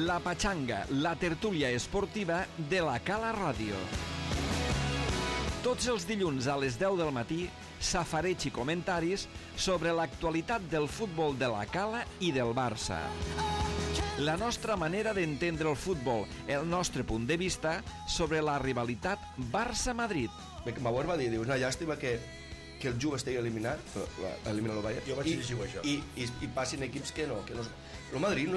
La Pachanga, la tertúlia esportiva de la Cala Ràdio. Tots els dilluns a les 10 del matí, safareig i comentaris sobre l'actualitat del futbol de la Cala i del Barça. La nostra manera d'entendre el futbol, el nostre punt de vista sobre la rivalitat Barça-Madrid. Bauer va dir, una llàstima que el Juve estigui eliminat, eliminar el Bayern, jo vaig llegir això. I passin equips que no. El Madrid,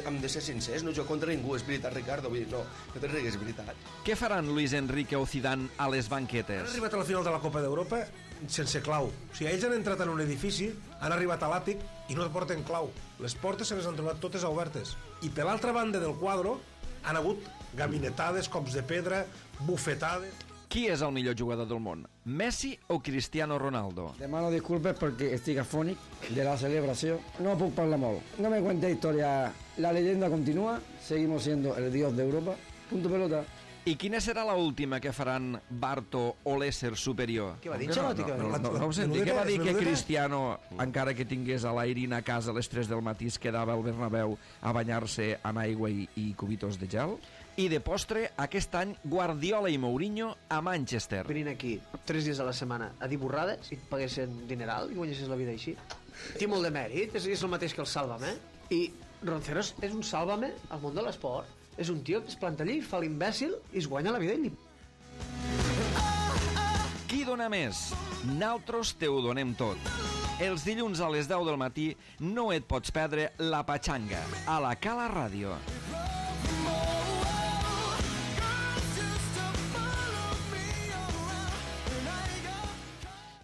hem de ser sincers, no juga contra ningú, és veritat, Ricardo, vull dir, no te rigues, és veritat. Què faran Luis Enrique o Zidane a les banquetes? Han arribat a la final de la Copa d'Europa sense clau. O sigui, ells han entrat en un edifici, han arribat a l'àtic i no porten clau. Les portes se les han trobat totes obertes. I per l'altra banda del quadre han hagut gabinetades, cops de pedra, bufetades. Qui és el millor jugador del món? Messi o Cristiano Ronaldo? Demano disculpes perquè estic afònic de la celebració. No puc parlar molt. No me cuente historia. La leyenda continúa. Seguimos siendo el dios de Europa. Punto pelota. I quina serà l'última que faran Barto o l'ésser superior? Què va dir? No ho senti. Què va dir que Cristiano, encara que tingués a l'Airin a casa a les 3 del matí, es quedava al Bernabéu a banyar-se amb aigua i cubitos de gel? I de postre, aquest any, Guardiola i Mourinho a Manchester. Venint aquí 3 dies a la setmana a dir borrades i et paguessin dineral i guanyessis la vida així. Té molt de mèrit, és el mateix que el Sálvame. I Ronceros és un Sálvame al món de l'esport. És un tio que es planta allí, fa l'imbècil i es guanya la vida i Qui dona més? Naltros te ho donem tot. Els dilluns a les 10 del matí no et pots perdre La Pachanga a la Cala Ràdio.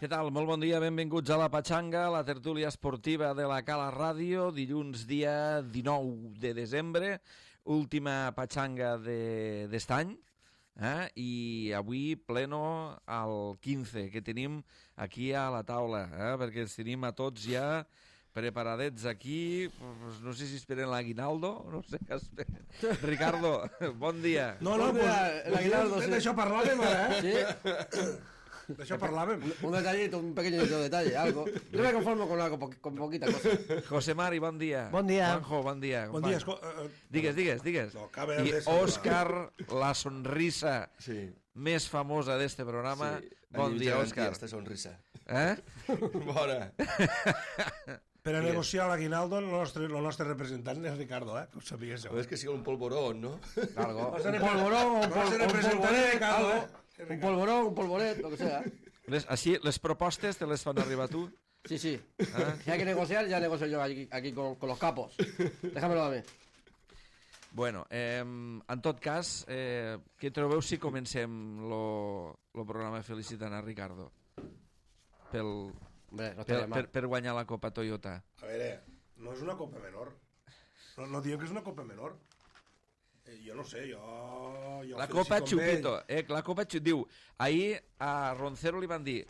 Què tal? Molt bon dia, benvinguts a La Pachanga, la tertúlia esportiva de la Cala Ràdio, dilluns dia 19 de desembre, última Pachanga d'est any, i avui pleno al 15, que tenim aquí a la taula, perquè els tenim a tots ja preparadets aquí, no sé si esperen l'aguinaldo, no sé què esperen. Ricardo, bon dia. No, l'aguinaldo, sí. D'això parlàvem ara, Sí. D'això parlàvem. Un detallito, un pequeño detalle, algo. Yo me conformo con poquita cosa. José Mari, bon dia. Bon dia. Juanjo, bon dia. Bon dia. Digues. No, acaba I de ser- Òscar, la sonrisa Sí. més famosa d'este programa. Sí, Bon dia, Òscar. Esta sonrisa. Bona. Per a negociar l'aguinaldo, el nostre representant és Ricardo, que ho sapiguéssiu. Però és que sigui un polvorón, no? Algo. Un polvorón, un polvorón, un polvoret, lo que sea. Les propostes te les fan arribar tu? Sí. Si hay que negociar, ya negocio yo aquí con los capos. Déjamelo a mí. Bueno, en tot cas, què trobeu si comencem lo programa felicitant a Ricardo? Hombre, no estaría mal. Per guanyar la Copa Toyota. A veure, no és una copa menor. No diem que és una copa menor. Jo no sé, jo La Copa Chupito, la Copa Chupito. Diu, ahir a Roncero li van dir,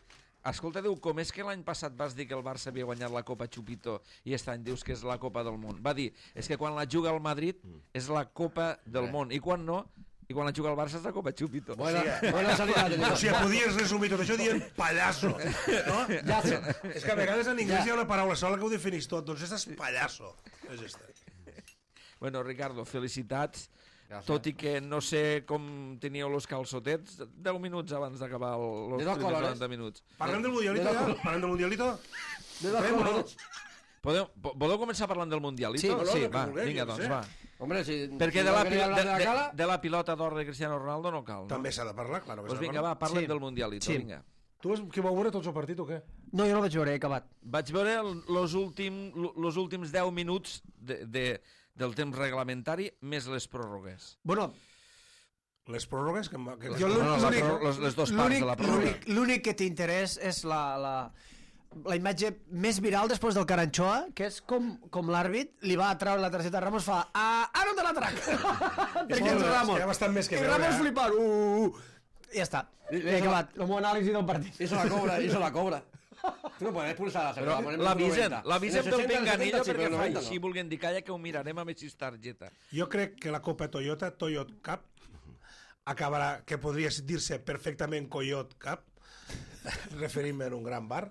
escolta, diu, com és que l'any passat vas dir que el Barça havia guanyat la Copa Chupito i aquest any dius que és la Copa del Món? Va dir, és que quan la juga el Madrid és la Copa del Món, i quan no, i quan la juga el Barça és la Copa Chupito. Buena salida. O sigui, podies resumir tot això dient pallasso, no? És que a vegades en anglès hi ha una paraula sola que ho definís tot, doncs és pallasso. És esta. Bueno, Ricardo, felicitats. Gràcies. Tot i que no sé com teníeu los calçotets 10 minuts abans d'acabar els De dos primers colores. 90 minuts. Parlem del Mundialito ja? Parlem del Mundialito? Voleu començar parlant del Mundialito? Sí, va, vulgueu, vinga, jo doncs, sé. va. Hombre, si Perquè si de no quería hablar de la Cala, la pilota d'or de Cristiano Ronaldo no cal, no? També s'ha de parlar, claro que Doncs s'ha de vinga, parlar. va, parlem Sí. del Mundialito, Sí. vinga. Tu que vau veure tots el partit o què? No, jo no el vaig veure, he acabat. Vaig veure els últims 10 minuts del temps reglamentari més les pròrrogues. Bueno, Les pròrrogues que jo les dues parts de la pròrroga. l'únic que t'interès és la imatge més viral després del Caranchoa, que és com l'àrbit li va treure la targeta a Ramos, fa ara no te la trac! Perquè és Ramos. Hi ha bastant més que I veure, Ramos flipant. I ja està. He acabat. El meu anàlisi del partit. Eso la cobra. Tú no puedes expulsar a la Però l'avisen pel pinganillo perquè fa així, vulguem dir, calla que ho mirarem amb aquesta targeta. Jo crec que la Copa Toyota Cup acabarà, que podria dir-se perfectament Coyot Cup, referint-me en un gran bar,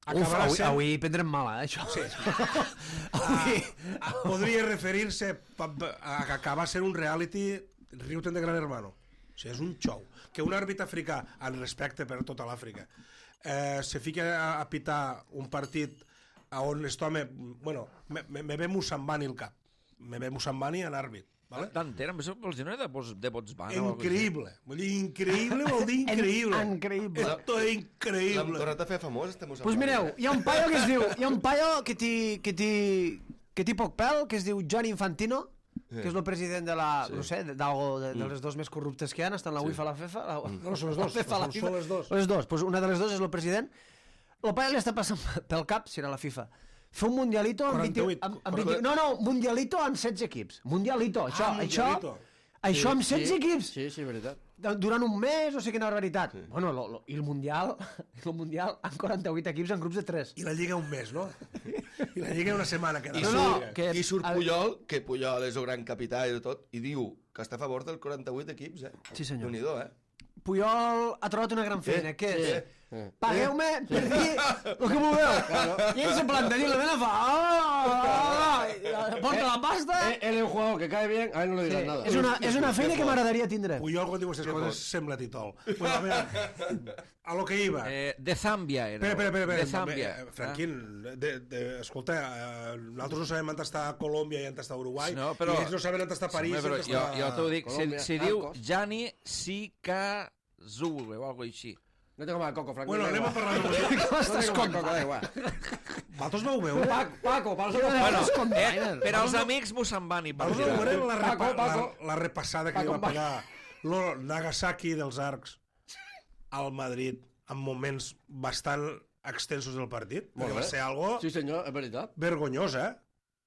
avui prendrem mala, això. Sí. Podria referir-se a acabar sent un reality riu-te'n de Gran Hermano. O sigui, és un xou. Que un àrbit africà, en respecte per tota l'Àfrica, se fica a pitar un partit on aquest home... Bueno, me ve Musambani el cap. Me ve Musambani en àrbit. Vale? D'entera, vols dir de Botswana? Increïble. Vull dir, increïble vol dir increïble. Increïble. Esto es increïble. L'hem tornat a fer famós, este Musambani. Pues mireu, hi ha un paio que es diu... Hi ha un paio que té poc pèl, que es diu Gianni Infantino, que és el president de la... No sé, d'algo de les dos més corruptes que hi ha, estan la UEFA i la FIFA. No, són les dos. Són les dos. Les dos. Pues una de les dos és el president. El paio li està passant pel cap, si era la FIFA, fer un mundialito amb 20... No, mundialito amb 16 equips. Mundialito, això amb 16 equips. Sí, veritat. Durant un mes, no sé quina barbaritat. Sí. Bueno, i el Mundial amb 48 equips en grups de 3. I la Lliga un mes, no? I la Lliga una setmana. I surt Puyol, que Puyol és el gran capità i tot, i diu que està a favor del 48 equips, Sí, senyor. Déu-n'hi-do, Puyol ha trobat una gran feina, què és? Pagueu-me per dir el que vulgueu. I ell se planta, diu, la nena fa... Porta la pasta... Él es un jugador que cae bien, a él no le dirás nada. És una feina que m'agradaria tindre. Puyol, quan diu aquestes coses, sembla titol. Bueno, a veure, a lo que iba. De Zàmbia era. Espera. De Zàmbia. Franquín, escolta, nosaltres no sabem on està Colòmbia i on està Uruguai, no, però, i ells no saben on està París. Però jo t'ho dic, se diu Gianni Sikazu o alguna cosa així. No tengo más coco, Franquín. Bueno, anem a parlar de música. No tengo más coco, da igual. Vosaltres vau veure? Paco, para nosotros. Bueno, per als amics Musambani. Vosaltres vau veure la repassada que li va pegar el Nagasaki dels Arcs al Madrid en moments bastant extensos del partit? Perquè va ser algo Sí, senyor, és veritat. vergonyós,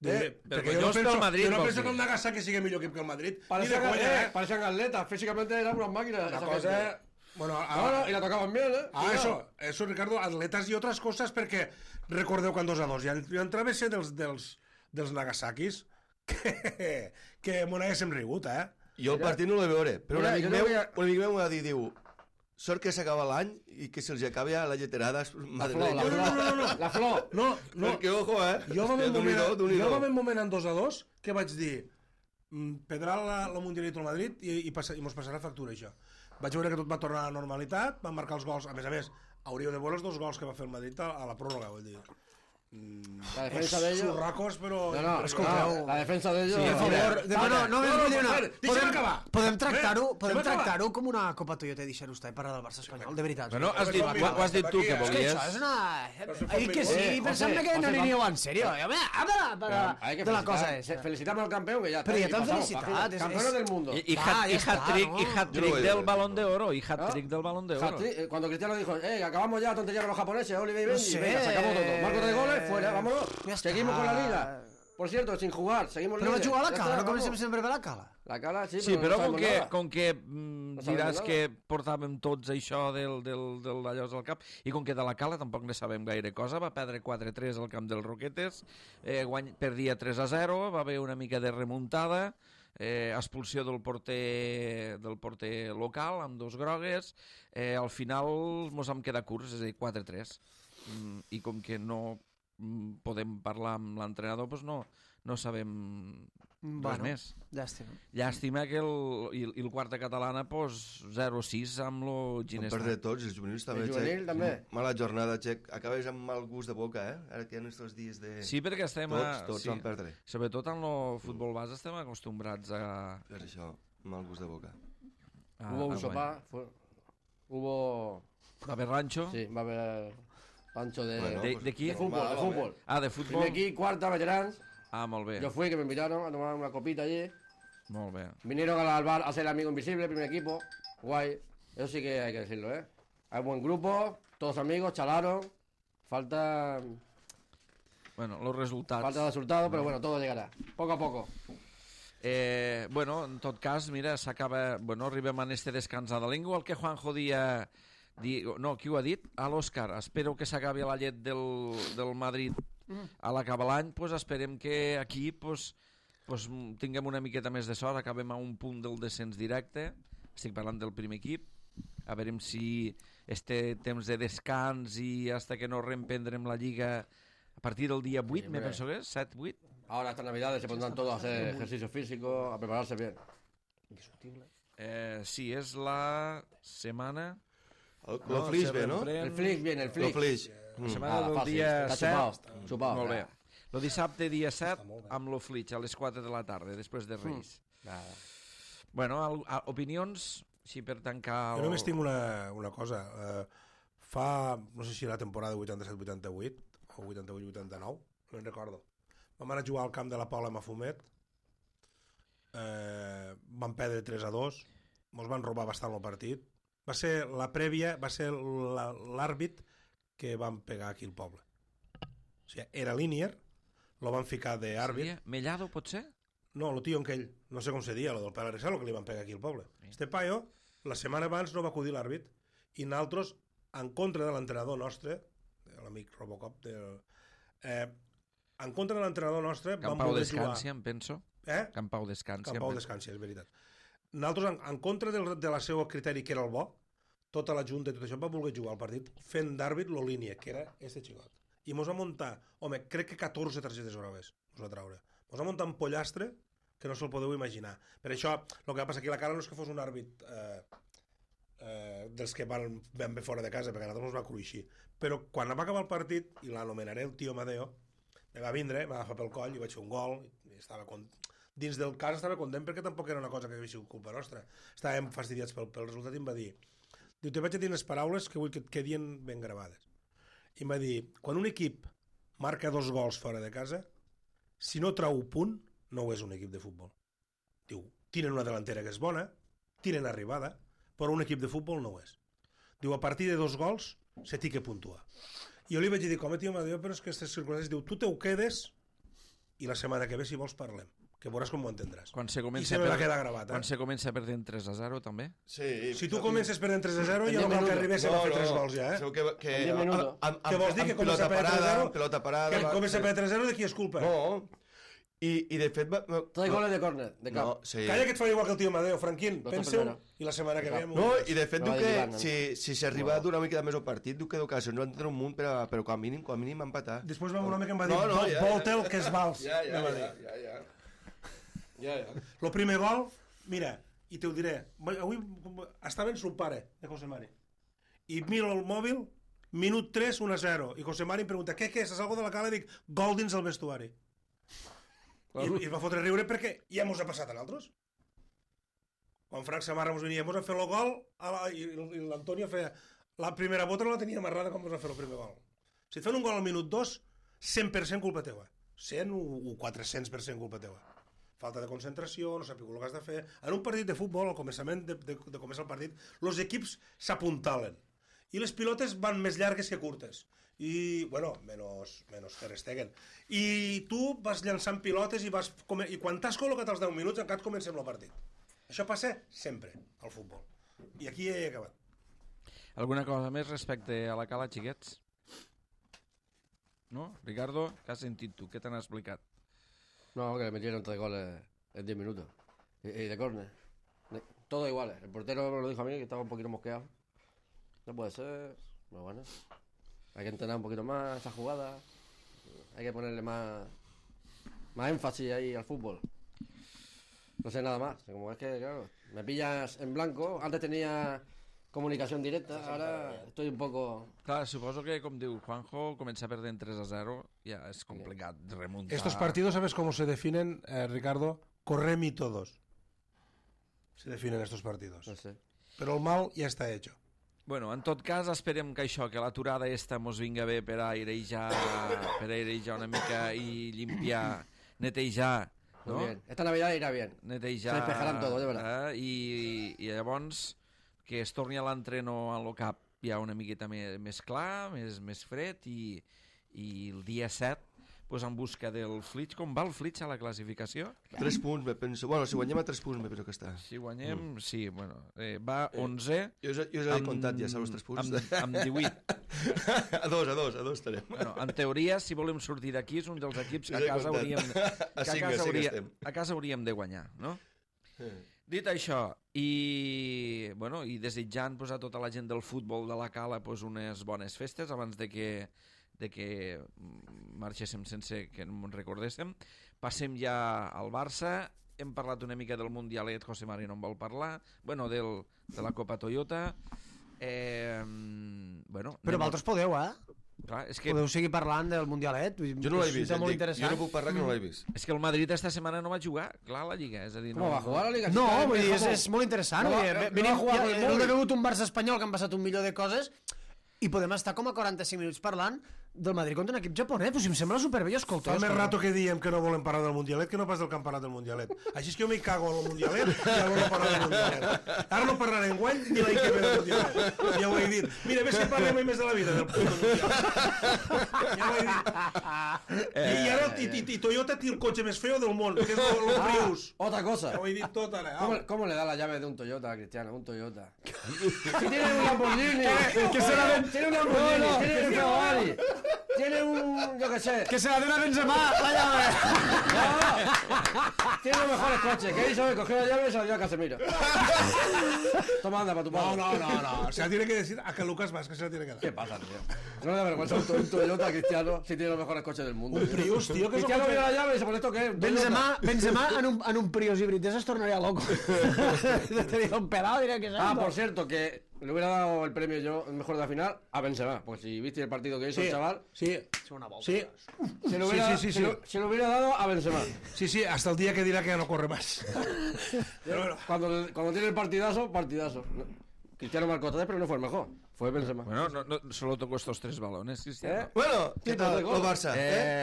Vergonyós pel Madrid. Jo no penso que el Nagasaki sigui millor equip que el Madrid. Parecían atletas, físicamente eran unas máquinas. La cosa... Bueno, y la tocaban bien, eso, Ricardo, atletas y otras cosas, perquè recordeu quan 2-2 jo entrava a ser dels Nagasakis que m'ho n'haguéssim rigut, Jo el partit no l'he veure, però un amic meu m'ha dit, diu, sort que s'acaba l'any i que se'ls acabi la lleterada madrilenya. La flor. No. Perquè, ojo, Jo va haver un moment en 2-2 que vaig dir, prendrà la Mundialito al Madrid i mos passarà factura, això. Vaig veure que tot va tornar a la normalitat, van marcar els gols, a més, hauríeu de veure els 2 gols que va fer el Madrid a la pròrroga, vull dir. La defensa de ellos... Churracos, però... La defensa de ellos... Sí, a favor... No, vull dir una... Deixa'm acabar. Podem tractar-ho com una Copa Toyota i deixar-ho estar i parlar del Barça espanyol, de veritat. Bueno, ho has dit tu que volies. És que això és una... que sí, pensem que no aniríeu en serio. De la cosa és... Felicitamos al campeón, que ya está. Pero ya te han felicitado. Campeones del mundo. Y hat-trick del Balón de Oro. Y hat-trick del Balón de Oro. Cuando Cristiano dijo, acabamos ya la tontería con los japoneses, Oliver y Benji, venga, sacamos todo. Marco de goles, fuera, vámonos. Seguimos con la liga. Por cierto, sin jugar, seguimos líderes. Però va jugar a la Cala, no comencem sempre per la Cala. La Cala, sí, però com que diràs que portàvem tots això d'allò al cap, i com que de la Cala tampoc ne sabem gaire cosa, va perdre 4-3 al camp dels Roquetes, perdia 3-0, va haver una mica de remuntada, expulsió del porter local amb 2 grogues, al final mos vam quedar curts, és a dir, 4-3, i com que no podem parlar amb l'entrenador, doncs no sabem res més. Llàstima que el quarta catalana 0-6 amb lo Ginesta. Van perdre tots, els juvenils també, Xec. Mala jornada, Xec. Acabes amb mal gust de boca, ara que hi ha aquests dies de... Sí, perquè estem... Tots van perdre. Sobretot en el futbol base estem acostumbrats a... Per això, mal gust de boca. Hubo un sopar, hubo... Va haver rancho? Sí, va haver... Pancho ¿De qui? De fútbol. Ah, de fútbol. Primer aquí, cuarta, veterans. Ah, molt bé. Yo fui, que me invitaron a tomar una copita allí. Molt bé. Vinieron al bar a ser el amigo invisible, primer equipo. Guay. Eso sí que hay que decirlo, Hay buen grupo, todos amigos, chalaron. Falta... Bueno, los resultats. Falta resultados, pero bueno, todo llegará. Poco a poco. Bueno, en tot cas, mira, s'acaba... Bueno, arribem a este descans de lengua, el que Juanjo dia... No, qui ho ha dit? A l'Òscar. Espero que s'acabi la llet del Madrid a l'acabar l'any. Pues esperem que aquí pues tinguem una miqueta més de sort. Acabem a un punt del descens directe. Estic parlant del primer equip. A veure si este temps de descans i hasta que no reemprendrem la Lliga a partir del dia 8, me penso que és, 7-8. Ahora estas navidades se pondrán todos a hacer ejercicio físico, a prepararse bien. Sí, és la setmana... El Flix ve, no? El Flix viene, el Flix. El Flix. La setmana del fàcil. dia Està 7. Xupao. Molt bé. El dissabte, dia 7, amb lo Flix, a les 4 de la tarda, després de Reis. Bueno, opinions, sí, per tancar... Jo només tinc una cosa. Fa, no sé si la temporada 87-88 o 88-89, no me'n recordo. Vam anar a jugar al camp de la Paula Mafumet, vam perdre 3-2, mos van robar bastant el partit. Va ser la prèvia, va ser l'àrbit que van pegar aquí al poble. O sigui, era Linier, lo van ficar d'àrbit. Mellado, pot ser? No, lo tío aquell, no sé com se dia, lo del Pere Rexal, lo que li van pegar aquí al poble. Este paio, la setmana abans no va acudir l'àrbit, i nosaltres, en contra de l'entrenador nostre, l'amic Robocop, en contra de l'entrenador nostre, vam Campau voler jugar... Descansi, em penso. Eh? Campau Descansi. Campau Descansi, és veritat. Nosaltres, en contra de la seva criteri, que era el bo, tota la junta i tot això, va voler jugar al partit fent d'àrbit lo línia, que era este xicot. I mos va muntar, home, crec que 14 targetes grogues mos va traure. Mos va muntar un pollastre que no se'l podeu imaginar. Per això, el que va passar aquí a la cara no és que fos un àrbit dels que van ben bé fora de casa, perquè a nosaltres ens va cruixir. Però quan va acabar el partit, i l'anomenaré el tio Amadeo, me va vindre, m'agafar pel coll i vaig fer un gol, i estava dins del cas estava content perquè tampoc era una cosa que havia sigut culpa nostra. Estàvem fastidiats pel resultat i em va dir, diu, te vaig a dir unes paraules que vull que et quedin ben gravades. I em va dir, quan un equip marca 2 gols fora de casa, si no trau punt, no ho és un equip de futbol. Diu, tiren una delantera que és bona, tiren arribada, però un equip de futbol no ho és. Diu, a partir de 2 gols se té que puntuar. I jo li vaig dir, com tio, però és que aquestes circumstàncies, diu, tu te ho quedes i la setmana que ve, si vols, parlem. Que veuràs com ho entendràs. Quan se I comença se me va quedar gravat. Quan se comença perdent 3-0, també? Sí. Si tu comences perdent 3-0, ja no cal que arribés a fer 3 gols, ja, eh? Que vols dir que comença a perdre 3-0? Pelota parada... Que comença a perdre 3-0, de qui és culpa? No. I de fet... Tres goles de córner, de cap. No, sí. Calla que et farà igual que el tio Amadeo, Franquín. Dos Pensa-ho, primera. i la setmana que ve... No, i de fet No diu va que lligant, si s'arriba a durar una mica més el partit, diu que d'ocasió no van tenir un munt, però com a mínim empatar. Després va un home que em va dir, volta el que és vals. Ja. El primer gol, mira, i te ho diré, avui estava en son pare, de José Mari, i miro el mòbil, minut 3, 1-0, i José Mari em pregunta, què és, és algo de la cala? I dic, gol dins el vestuari. I va fotre riure perquè ja mos ha passat a nosaltres. Quan Frank Samarra mos venia, mos ha fet el gol, i l'Antonio feia, la primera bota no la tenia amarrada com mos ha fet el primer gol. Si et fan un gol al minut 2, 100% culpa teua. 100 o 400% culpa teua. Falta de concentració, no saps el que has de fer. En un partit de futbol, al començament de començar el partit, els equips s'apuntalen. I les pilotes van més llargues que curtes. I, bueno, menys Ter Stegen. I tu vas llançant pilotes i quan t'has col·locat als 10 minuts encara comencem el partit. Això passa sempre al futbol. I aquí ja he acabat. Alguna cosa més respecte a la cala, xiquets? No? Ricardo, què has sentit tu? Què t'han explicat? No, que le metieron 3 goles en 10 minutos. Y de córner. Todo igual. El portero me lo dijo a mí, que estaba un poquito mosqueado. No puede ser. Pero bueno. Hay que entrenar un poquito más esa jugada. Hay que ponerle más énfasis ahí al fútbol. No sé nada más. Como es que, claro, me pillas en blanco. Antes tenía comunicación directa, ahora estoy un poco... Clar, suposo que, com diu Juanjo, començar perdent 3-0 ja és complicat remuntar. Estos partidos, ¿sabes cómo se definen, Ricardo? Correm y todos. Se definen estos partidos. No sé. Però el mal ja està hecho. Bueno, en tot cas, esperem que això, que l'aturada esta mos vinga bé per airejar una mica i limpiar, netejar, no? Muy bien. Esta Navidad irá bien. Netejar... Se despejaran todo, de verdad. I llavors que es torni a l'entreno a lo cap ja una miqueta més clar, més fred i el dia 7 pues, en busca del Flix. Com va el Flix a la classificació? 3 punts, me penso. Bueno, si guanyem a 3 punts, me penso que està. Si guanyem, sí, bueno. Va 11... Jo us he comptat ja, els 3 punts. Amb 18. A dos estarem. Bueno, en teoria, si volem sortir d'aquí, és un dels equips que a casa hauríem de guanyar, no? Dit això, i desitjant a tota la gent del futbol de la Cala unes bones festes abans de que marxéssim sense que no ens recordéssim, passem ja al Barça. Hem parlat una mica del Mundialet, José Mari no en vol parlar, de la Copa Toyota. Però vosaltres podeu, Clar, és que... Podeu seguir parlant del Mundialet. Jo no l'he vist, molt interessant. jo no puc parlar que no l'he vist. És que el Madrid esta setmana no va jugar, clar, a la Lliga. És a dir, No va jugar a la Liga. No, vull dir, és molt interessant. No va jugar per el Hem Móvil. begut un Barça espanyol que han passat un milió de coses i podem estar com a 45 minuts parlant del Madrid contra un equip japonès. Pues si em sembla superbé, escolta. Fa més rato que diem que no volem parlar del Mundialet que no pas del campionat del Mundialet. Així és que jo m'hi cago en el Mundialet i ja volem parlar del Mundialet. Ara no parlaré enguany ni l'any que ve del Mundialet. Ja ho he dit. Mira, ves que parlem més de la vida del puto Mundialet. Ja ho he dit. I Toyota té el cotxe més feo del món, que és el Prius. Otra cosa. Ja ho he dit tot ara. ¿Cómo le da la llave de un Toyota a Cristiano? Un Toyota. Si tiene un Lamborghini. Tiene un Lamborghini. Tiene un Ferrari. Tiene un... yo qué sé. Que se la den a Benzema, la llave. No. Tiene los mejores coches. ¿Qué hizo? Cogió la llave y se la dio a Casemiro. Toma, anda, para tu padre. No. Se la tiene que decir a que Lucas Vázquez se la tiene que dar. ¿Qué pasa, tío? No le da vergüenza un Toyota a Cristiano si tiene los mejores coches del mundo. Un Prius, tío, que és Cristiano vio la llave y se pone esto que es. Benzema en un Prius híbrid es tornaría loco. Te digo un pelado, diría que es Ah, esto. por cierto, que le hubiera dado el premio yo, el mejor de la final, a Benzema. Porque si viste el partido que hizo el chaval, Sí. se lo hubiera dado a Benzema. Sí, hasta el día que dirá que ya no corre más. Pero bueno. Cuando tiene el partidazo. Cristiano marcó 3, pero no fue el mejor. Fue Benzema. Bueno, no, solo tocó estos 3 balones, Cristiano. Bueno, què tal, el Barça?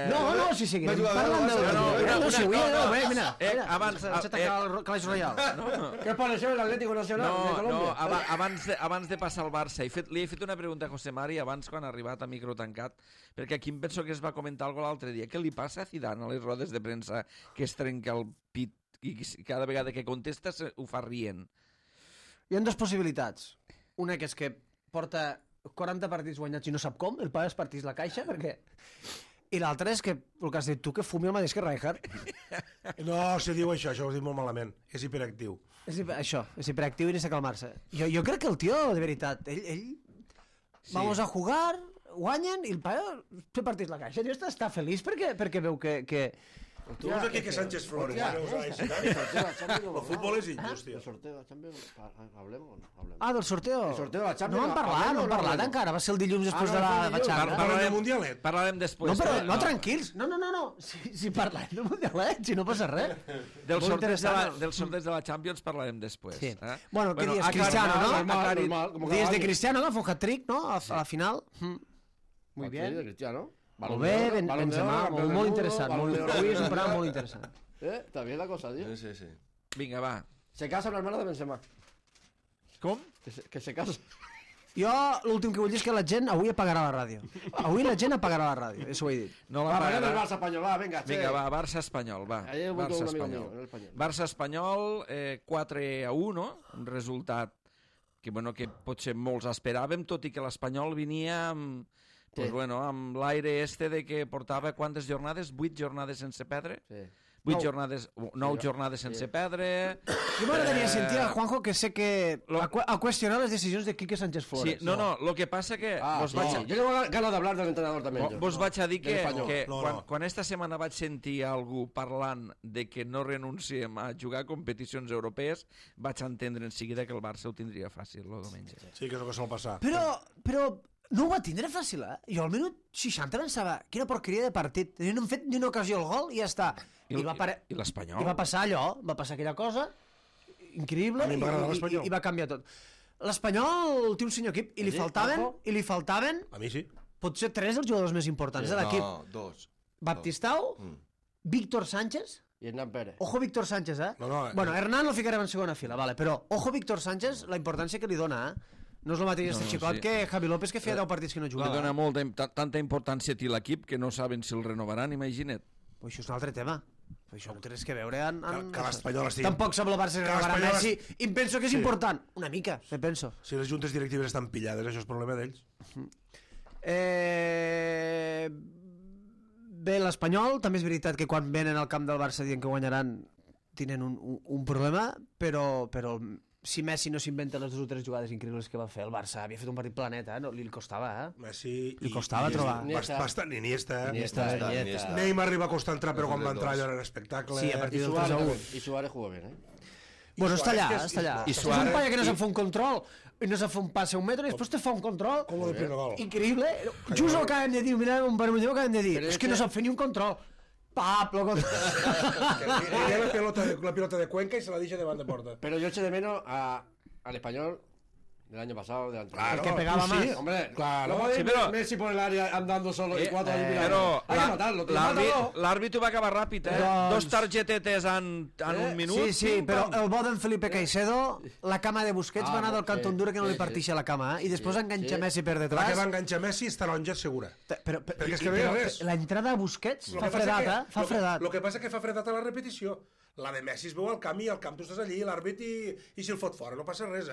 No, si seguirem Va jugar parlant del... No, Mira, abans... Clash Royale. ¿Qué os pareció el Atlético Nacional de Colombia? Abans de passar al Barça, li he fet una pregunta a José Mari abans quan ha arribat a micro tancat, perquè aquí em penso que es va comentar alguna l'altre dia. Què li passa a Zidane a les rodes de premsa que es trenca el pit i cada vegada que contesta ho fa rient? Hi ha dues possibilitats. Una que és que porta 40 partits guanyats i no sap com, el paga els partits la caixa, perquè... I l'altra és que, el que has dit tu, que fumi el mateix que Rijkaard. No, se diu això ho has dit molt malament. És hiperactiu. És hiperactiu i necessita calmar-se. Jo crec que el tio, de veritat, ell vamos a jugar, guanyen i el paga té partits la caixa. El tio està feliç perquè veu que... Tu veus aquí que Sánchez Flores. El futbol és injust, tio. El sorteo de la Champions, ¿hablemos o no? Hablemos. Ah, del sorteo? El sorteo de la Champions. No han parlat encara, va ser el dilluns després de la Champions. Parlem del Mundialet. Parlarem després. No, però no, tranquils. No. Si parlem del Mundialet, si no passa res. Dels sorteig de la Champions parlarem després. Sí. Bueno, què dius? Cristiano, ¿no? Dies de Cristiano, que fue un hat-trick, ¿no? A la final. Muy bien. De Cristiano. Molt bé, Benzema, molt interessant. Avui és un programa molt interessant. Está bien la cosa, tío. Sí. Vinga, va. Se casa la hermana de Benzema. Com? Que se casa. Jo l'últim que vull dir és que la gent avui apagarà la ràdio. Avui la gent apagarà la ràdio, això ho he dit. No Va, la del pagarà. Barça espanyol, va, venga. Vinga, va, Barça-Espanyol, va. Ayer votó un amigo Barça-Espanyol. mío, en el español. Barça-Espanyol, 4-1, un resultat que potser molts esperàvem, tot i que l'Espanyol venia amb... Pues bueno, amb l'aire de que portava quantes jornades? 8 jornades sense perdre? Sí. 9 jornades sense perdre. Jo m'agradaria sentir a Juanjo, que sé que a qüestionar les decisions de Quique Sánchez Flores. Sí, no, lo que passa que... Yo tengo ganas de hablar del entrenador también. Vos vaig a dir que No. quan esta setmana vaig sentir algú parlant de que no renunciem a jugar a competicions europees, vaig entendre en seguida que el Barça ho tindria fàcil el diumenge. Sí, que és el que sol passar. Però no ho va tindre fàcil, Jo al minut 60 pensava, quina porqueria de partit. No hem fet ni una ocasió al gol i ja està. I l'Espanyol? I va passar allò, va passar aquella cosa increïble A mi m'agrada l'Espanyol. i va canviar tot. L'Espanyol té un senyor equip i li faltaven A mi sí. potser 3 dels jugadors més importants de l'equip. No, 2. Baptistao, Víctor Sánchez. Y Hernán Pérez. Ojo Víctor Sánchez, No, Bueno, Hernán lo ficarem en segona fila, vale, però ojo Víctor Sánchez, la importància que li dona, No és el mateix este xicot que Javi López, que feia 10 partits que no Li jugava. dona tanta importància a l'equip que no saben si el renovaran, imagina't. Pues això és un altre tema. Això no té res que veure Que l'Espanyol estigui... Tampoc sap el Barça Que renovarà l'Espanyol Messi. I em penso que és important. Una mica, me penso. Si les juntes directives estan pillades, això és problema d'ells. Bé, l'Espanyol, també és veritat que quan venen al camp del Barça dient que guanyaran, tenen un problema, però si Messi no s'inventa les 2 o 3 jugades increïbles que va fer el Barça, havia fet un partit planeta, no? Li costava, Messi li costava trobar. Bastant Iniesta. Iniesta. Neymar arriba a costar entrar, però quan va entrar allò era un espectacle. Sí, a partir del 3-1. Y Suárez jugó bien, Bueno, està allà. I És un Suárez- paia que no se'n fa un control, i no se'n fa un passe a un metre, i després te fa un control. Com el del primer gol. Increïble. Just el que acabem de dir, mira, un vermelló que acabem de dir. Però És que no sap fer ni un control. Pap, lo control. Tenía la pelota de Cuenca y se la dice de banda de porta. Pero yo eché de menos al español del año pasado, del anterior. Claro, El que pegaba tú más. sí. Hombre, Claro. no podéis Sí, pero- Messi por el área andando solo y 4 eliminados. Però Hay que matarlo, tío, mátalo. l'àrbit ho va acabar ràpid, Doncs- 2 targetetes en un minut. Sí, pim, però pam. el bo d'en Felipe Caicedo, la cama de Busquets va anar del sí, Canto Honduras que no sí, li parteixa la cama, i després Sí, enganxa sí. Messi per La detrás. que va enganxar Messi és taronja segura. Perquè és que no hi ha res. La entrada a Busquets Lo fa que passa fredat, que- Fa fredat. Lo que passa que fa fredat a la repetició. La de Messi es veu al camp i al camp tu estàs allí, l'àrbit i si el fot fora, no passa res,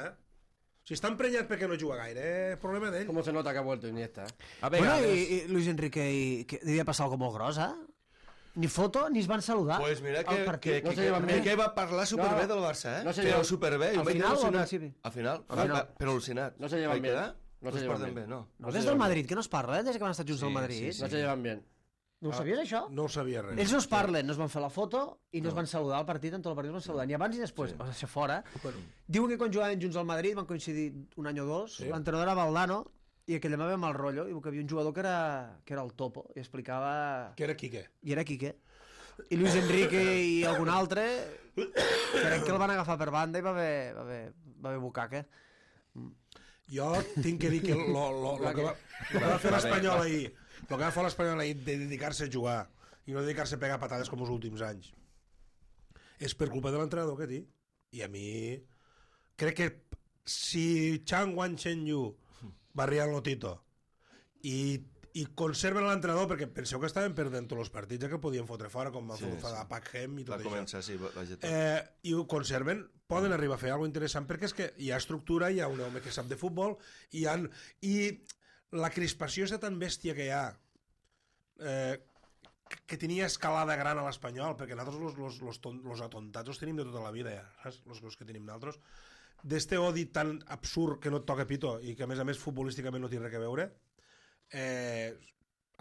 Si està emprenyat perquè no juga gaire, problema d'ell. ¿Cómo se nota que ha vuelto Iniesta? A Bueno, vegades. i Luis Enrique, que devia passar algo molt gros, Ni foto, ni es van saludar. Pues mira al partit. No se llevan bien. que va parlar superbé No, del Barça, no se Però llevan- superbé. Al final o al principi? Al final. Al final. Però al·lucinat. No se llevan Vaig bien. quedar? No se es llevan porten bien. bé, no. No, des del Madrid, que no es parla, des que van estar junts al Sí, Madrid. sí, sí. No se llevan bien. No ho sabies, això? No ho sabia res. Ells no es parlen, no es van fer la foto i no es van saludar al partit, en tot el partit es van saludar, ni abans ni després, va ser fora. Diuen que quan jugaven junts al Madrid van coincidir un any o dos, l'entrenador era Valdano, i aquell demà ve mal rotllo, i que havia un jugador que era el Topo, i explicava... Que era Quique. I era Quique. I Luis Enrique i algun altre, crec que el van agafar per banda i va haver bucaque. Jo tinc que dir que lo que va fer l'Espanyol ahir, el que va fer l'Espanyol ahir de dedicar-se a jugar i no dedicar-se a pegar patades com els últims anys, és per culpa de l'entrenador que té. I a mi crec que si Chang Wan-Chen-Yu barria el Lotito i conserven l'entrenador, perquè penseu que estaven perdent tots els partits que podien fotre fora, com van fer a Pak Hem i tot Va això. començar, sí, va getar. I ho conserven, poden arribar a fer alguna interessant, perquè és que hi ha estructura, hi ha un home que sap de futbol, i la crispació és tan bèstia que hi ha, que tenia escalada gran a l'Espanyol, perquè nosaltres los atontats els tenim de tota la vida, ja, saps? Los que tenim nosaltres, d'este odi tan absurd que no et toca pito, i que a més futbolísticament no té res a veure,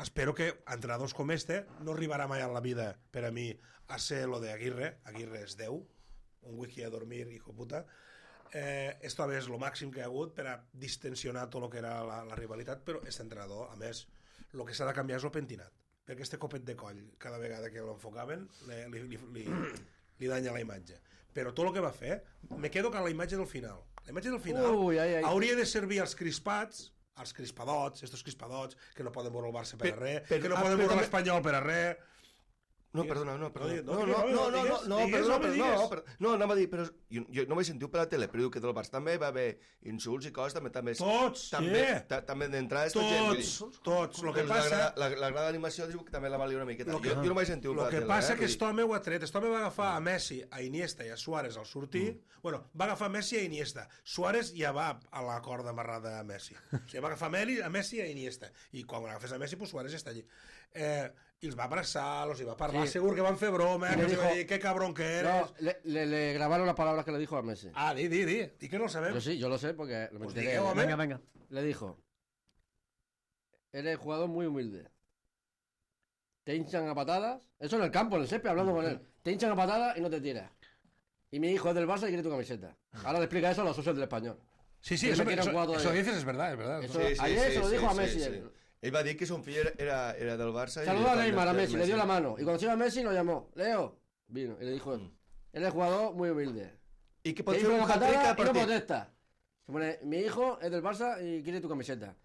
espero que entrenadors com este no arribarà mai en la vida, per a mi, a ser lo de Aguirre és Déu, un wiki a dormir, hijo puta. Esto és lo màxim que hi ha hagut per a distensionar tot el que era la rivalitat, però aquest entrenador, a més, el que s'ha de canviar és el pentinat, perquè este copet de coll, cada vegada que l'enfocaven, li danya la imatge. Però tot el que va fer, me quedo con la imatge del final. La imatge del final hauria de servir als crispats, als crispadots, estos crispadots, que no poden veure el Barça per a res, que no poden veure l'Espanyol per a res. No, perdona. No, anava a dir, però jo no vaig sentir per la tele, però diu que del Barça també va haver insults i coses, també també d'entrades, Tots. Lo que passa... La gran animació diu que també la valia una miqueta. Jo no vaig sentir per la tele. El que passa que aquest home ho ha tret. Aquest home va agafar a Messi, a Iniesta i a Suárez al sortir. Bueno, va agafar Messi a Iniesta. Suárez ja va a la corda amarrada a Messi. O sigui, va agafar a Messi i a Iniesta. I quan agafes a Messi, pues Suárez està allí. I els va abraçar, els va parlar, segur que van fer broma, que dijo, qué cabrón que eres. No, le grabaron las palabras que le dijo a Messi. Di que no lo sabemos. Yo sí, yo lo sé porque lo Pues enteré. digueu, home. Venga. Le dijo, eres jugador muy humilde. Te hinchan a patadas, eso en el campo, en el césped, hablando con él. Te hinchan a patadas y no te tiras. Y mi hijo es del Barça y quiere tu camiseta. Ahora le explica eso a los socios del Español. Sí, Que me quieren jugar todavía. eso dices es verdad, es verdad. Eso, ayer se lo dijo a Messi. él. Ell va dir que son fill era del Barça. Saludó a Neymar, a Messi, le dio la mano. Y cuando se iba a Messi lo llamó. Leo, vino y le dijo, él es jugador muy humilde. I que Te pot fer hizo un una hat-trick patada al y no partit. protesta. Se pone, mi hijo es del Barça y quiere tu camiseta.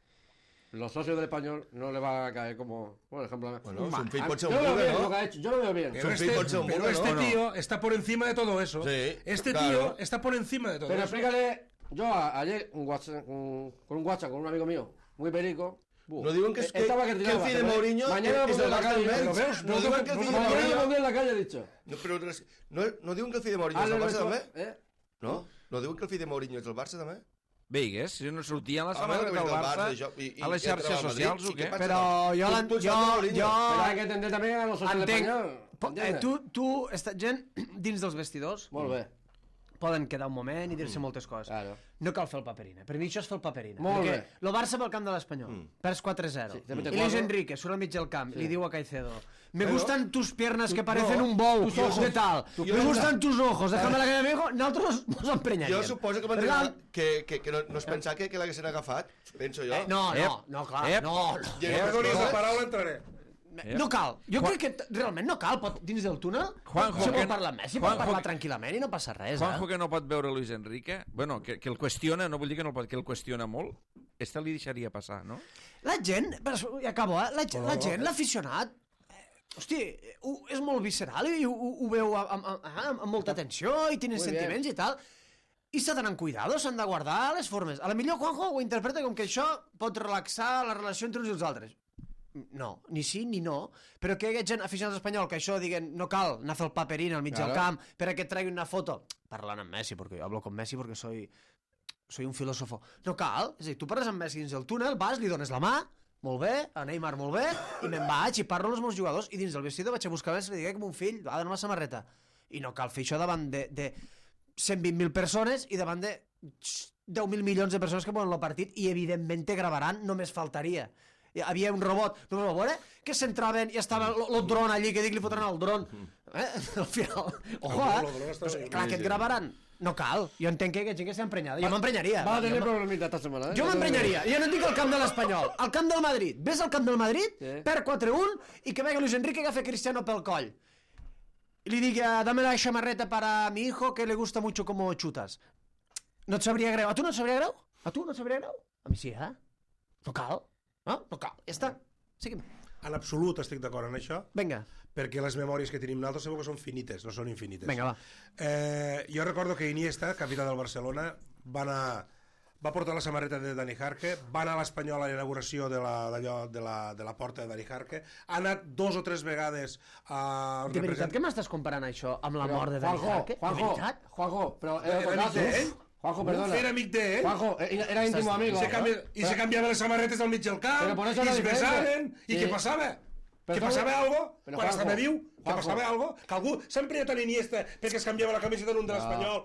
Los socios del Español no le va a caer como, por ejemplo... Bueno, son fill pot ser Yo un lo veo bugue, bien lo no? que ha hecho, yo lo veo bien. Pero Son fill pot ser un bugue, este ¿no? tío está por encima de todo eso. Sí, Este claro. tío está por encima de todo Pero eso. explícale, yo ayer con un WhatsApp con un amigo mío, muy perico. No diuen que estaba que el tiraba, fill de pero Mourinho mañana lo és pondré del en la Barça calle. almenys. Però veus, No diuen que el fill de Mañana lo Mourinho... pondré en la calle, he dicho. No, però no diuen que el fill de Mourinho és del Barça també? No? No diuen que el fill de Mourinho és del Barça també? Veigues, si no sortia a la Home, samarreta del Barça i a les xarxes socials o què? Però jo Pero hay que entender también a los socios del entenc, Español. Tu, gent dins dels vestidors, Molt bé. poden quedar un moment i dir-se moltes coses. Claro. No cal fer el paperina. Per mi això és fer el paperina. Molt perquè bé. el Barça pel camp de l'Espanyol. Perds 4-0. Sí, també té I Luis quatre. Enrique surt al mig del camp, li diu a Caicedo: me gustan tus piernas que parecen un bou, de tal. Me gustan tus ojos, déjame la que me digo. Nosaltres nos emprenyaríem. Jo suposo que que no es pensava que l'haguessin agafat, penso jo. No, clar. No. Perdó, la paraula entraré. No cal. Jo crec que realment no cal. Dins del túnel, si vol parlar amb Messi, pot parlar tranquil·lament i no passa res. Juanjo, que no pot veure Luis Enrique, bueno, que el qüestiona, no vull dir que no el pot, que el qüestiona molt, este li deixaria passar, no? La gent, ja acabo, la gent, l'aficionat, hosti, és molt visceral i ho veu amb molta atenció i tenen sentiments i tal. I s'ha d'anar amb cuidado, s'han de guardar les formes. A la millor Juanjo ho interpreta com que això pot relaxar la relació entre uns i els altres. No, ni sí ni no, però que hi ha gent aficionats espanyol que això diguen no cal anar a fer el paperín al mig del camp per a que tregui una foto parlant amb Messi, perquè jo hablo con Messi perquè soy un filósofo. No cal, és a dir, tu parles amb Messi dins del túnel, vas, li dones la mà, molt bé, a Neymar molt bé, i me'n vaig i parlo amb els meus jugadors i dins del vestidor vaig a buscar Messi i li dic com un fill, ha d'anar a la samarreta. I no cal fer això davant de 120.000 persones i davant de 10.000 milions de persones que veuen el partit i evidentment te gravaran, només faltaria. Hi havia un robot, no ho veure, que s'entraven i estava el dron allí, que dic li fotran el dron. Al final, clar, que et gravaran. No cal, jo entenc que hi ha gent que està emprenyada. Jo m'emprenyaria. Va tenir problemitat esta setmana, Jo m'emprenyaria. Jo no et dic al camp de l'Espanyol, al camp del Madrid. Ves al camp del Madrid, perd 4-1 i que vegi Luis Enrique que agafa Cristiano pel coll. I li diga, dame la chamarreta para mi hijo que le gusta mucho como chutas. No et sabria greu. A tu no et sabria greu? A tu no et sabria greu? A mi sí, No cal. No cal. Ja està. Seguim. En absolut estic d'acord en això. Vinga. Perquè les memòries que tenim nosaltres segur que són finites, no són infinites. Vinga, va. Jo recordo que Iniesta, capità del Barcelona, va portar la samarreta de Dani Jarque, va anar a l'Espanyol a la inauguració de la porta de Dani Jarque, ha anat 2 o 3 vegades a... De veritat que m'estàs comparant això amb la mort de Dani Jarque? Juanjo, però... Era amic d'ell? Juanjo, perdona. Era amic d'ell? Juanjo, era íntimo amigo. I se canviaven les samarretes al mig del camp, i es besaven, i què passava? Que passava algo quan estava viu? Que passava algo? Que algú s'ha emprenyat a l'Iniesta perquè es canviava la camiseta d'un de l'Espanyol?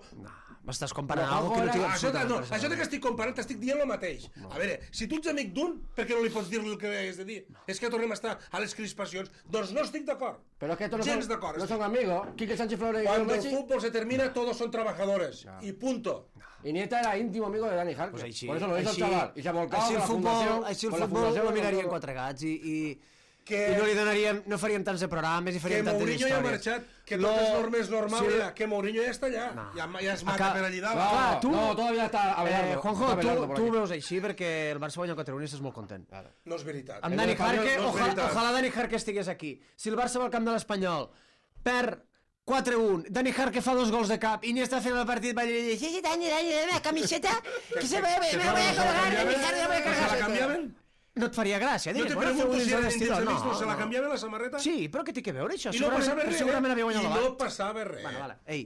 M'estàs comparant algo que no tinc absolutament res. Això que estic comparant t'estic dient el mateix. A veure, si tu ets amic d'un, per què no li pots dir el que has de dir? És que tornem a estar a les crispacions. Doncs no estic d'acord. Pero es que estos gens d'acord. No son amigos. Quique Sánchez Flores y Cuando el fútbol se termina, todos son trabajadores. Y punto. Iniesta era íntimo amigo de Dani Jarque. Pues por eso lo hizo el chaval. Y se ha volcado con la fundación. Així el futbol lo miraríem 4 gats i no li donaríem, no faríem tants de programes i faríem tantes històries. Que Mourinho ja ha marxat, que tot és normes normal, que Mourinho ja està allà, ja es mata per allí dalt. No, todavía está Abelardo. Juanjo, tu ho veus així perquè el Barça guanya 4-1 i estàs molt content. No és veritat. Amb Dani Jarque, ojalà Dani Jarque estigués aquí. Si el Barça va al camp de l'Espanyol, perd 4-1, Dani Jarque fa 2 gols de cap, Iniesta fent el partit va dir, Dani, la camiseta, que se me voy a colgar, Dani Jarque, me voy a colgar. ¿Se la cambiaven? No et faria gràcia. No te pregunto si eren dins el mig, se la canviaven la samarreta? Sí, però què té que veure això? I no passava res. Segurament havia guanyat la I no passava res. Vale. Ei,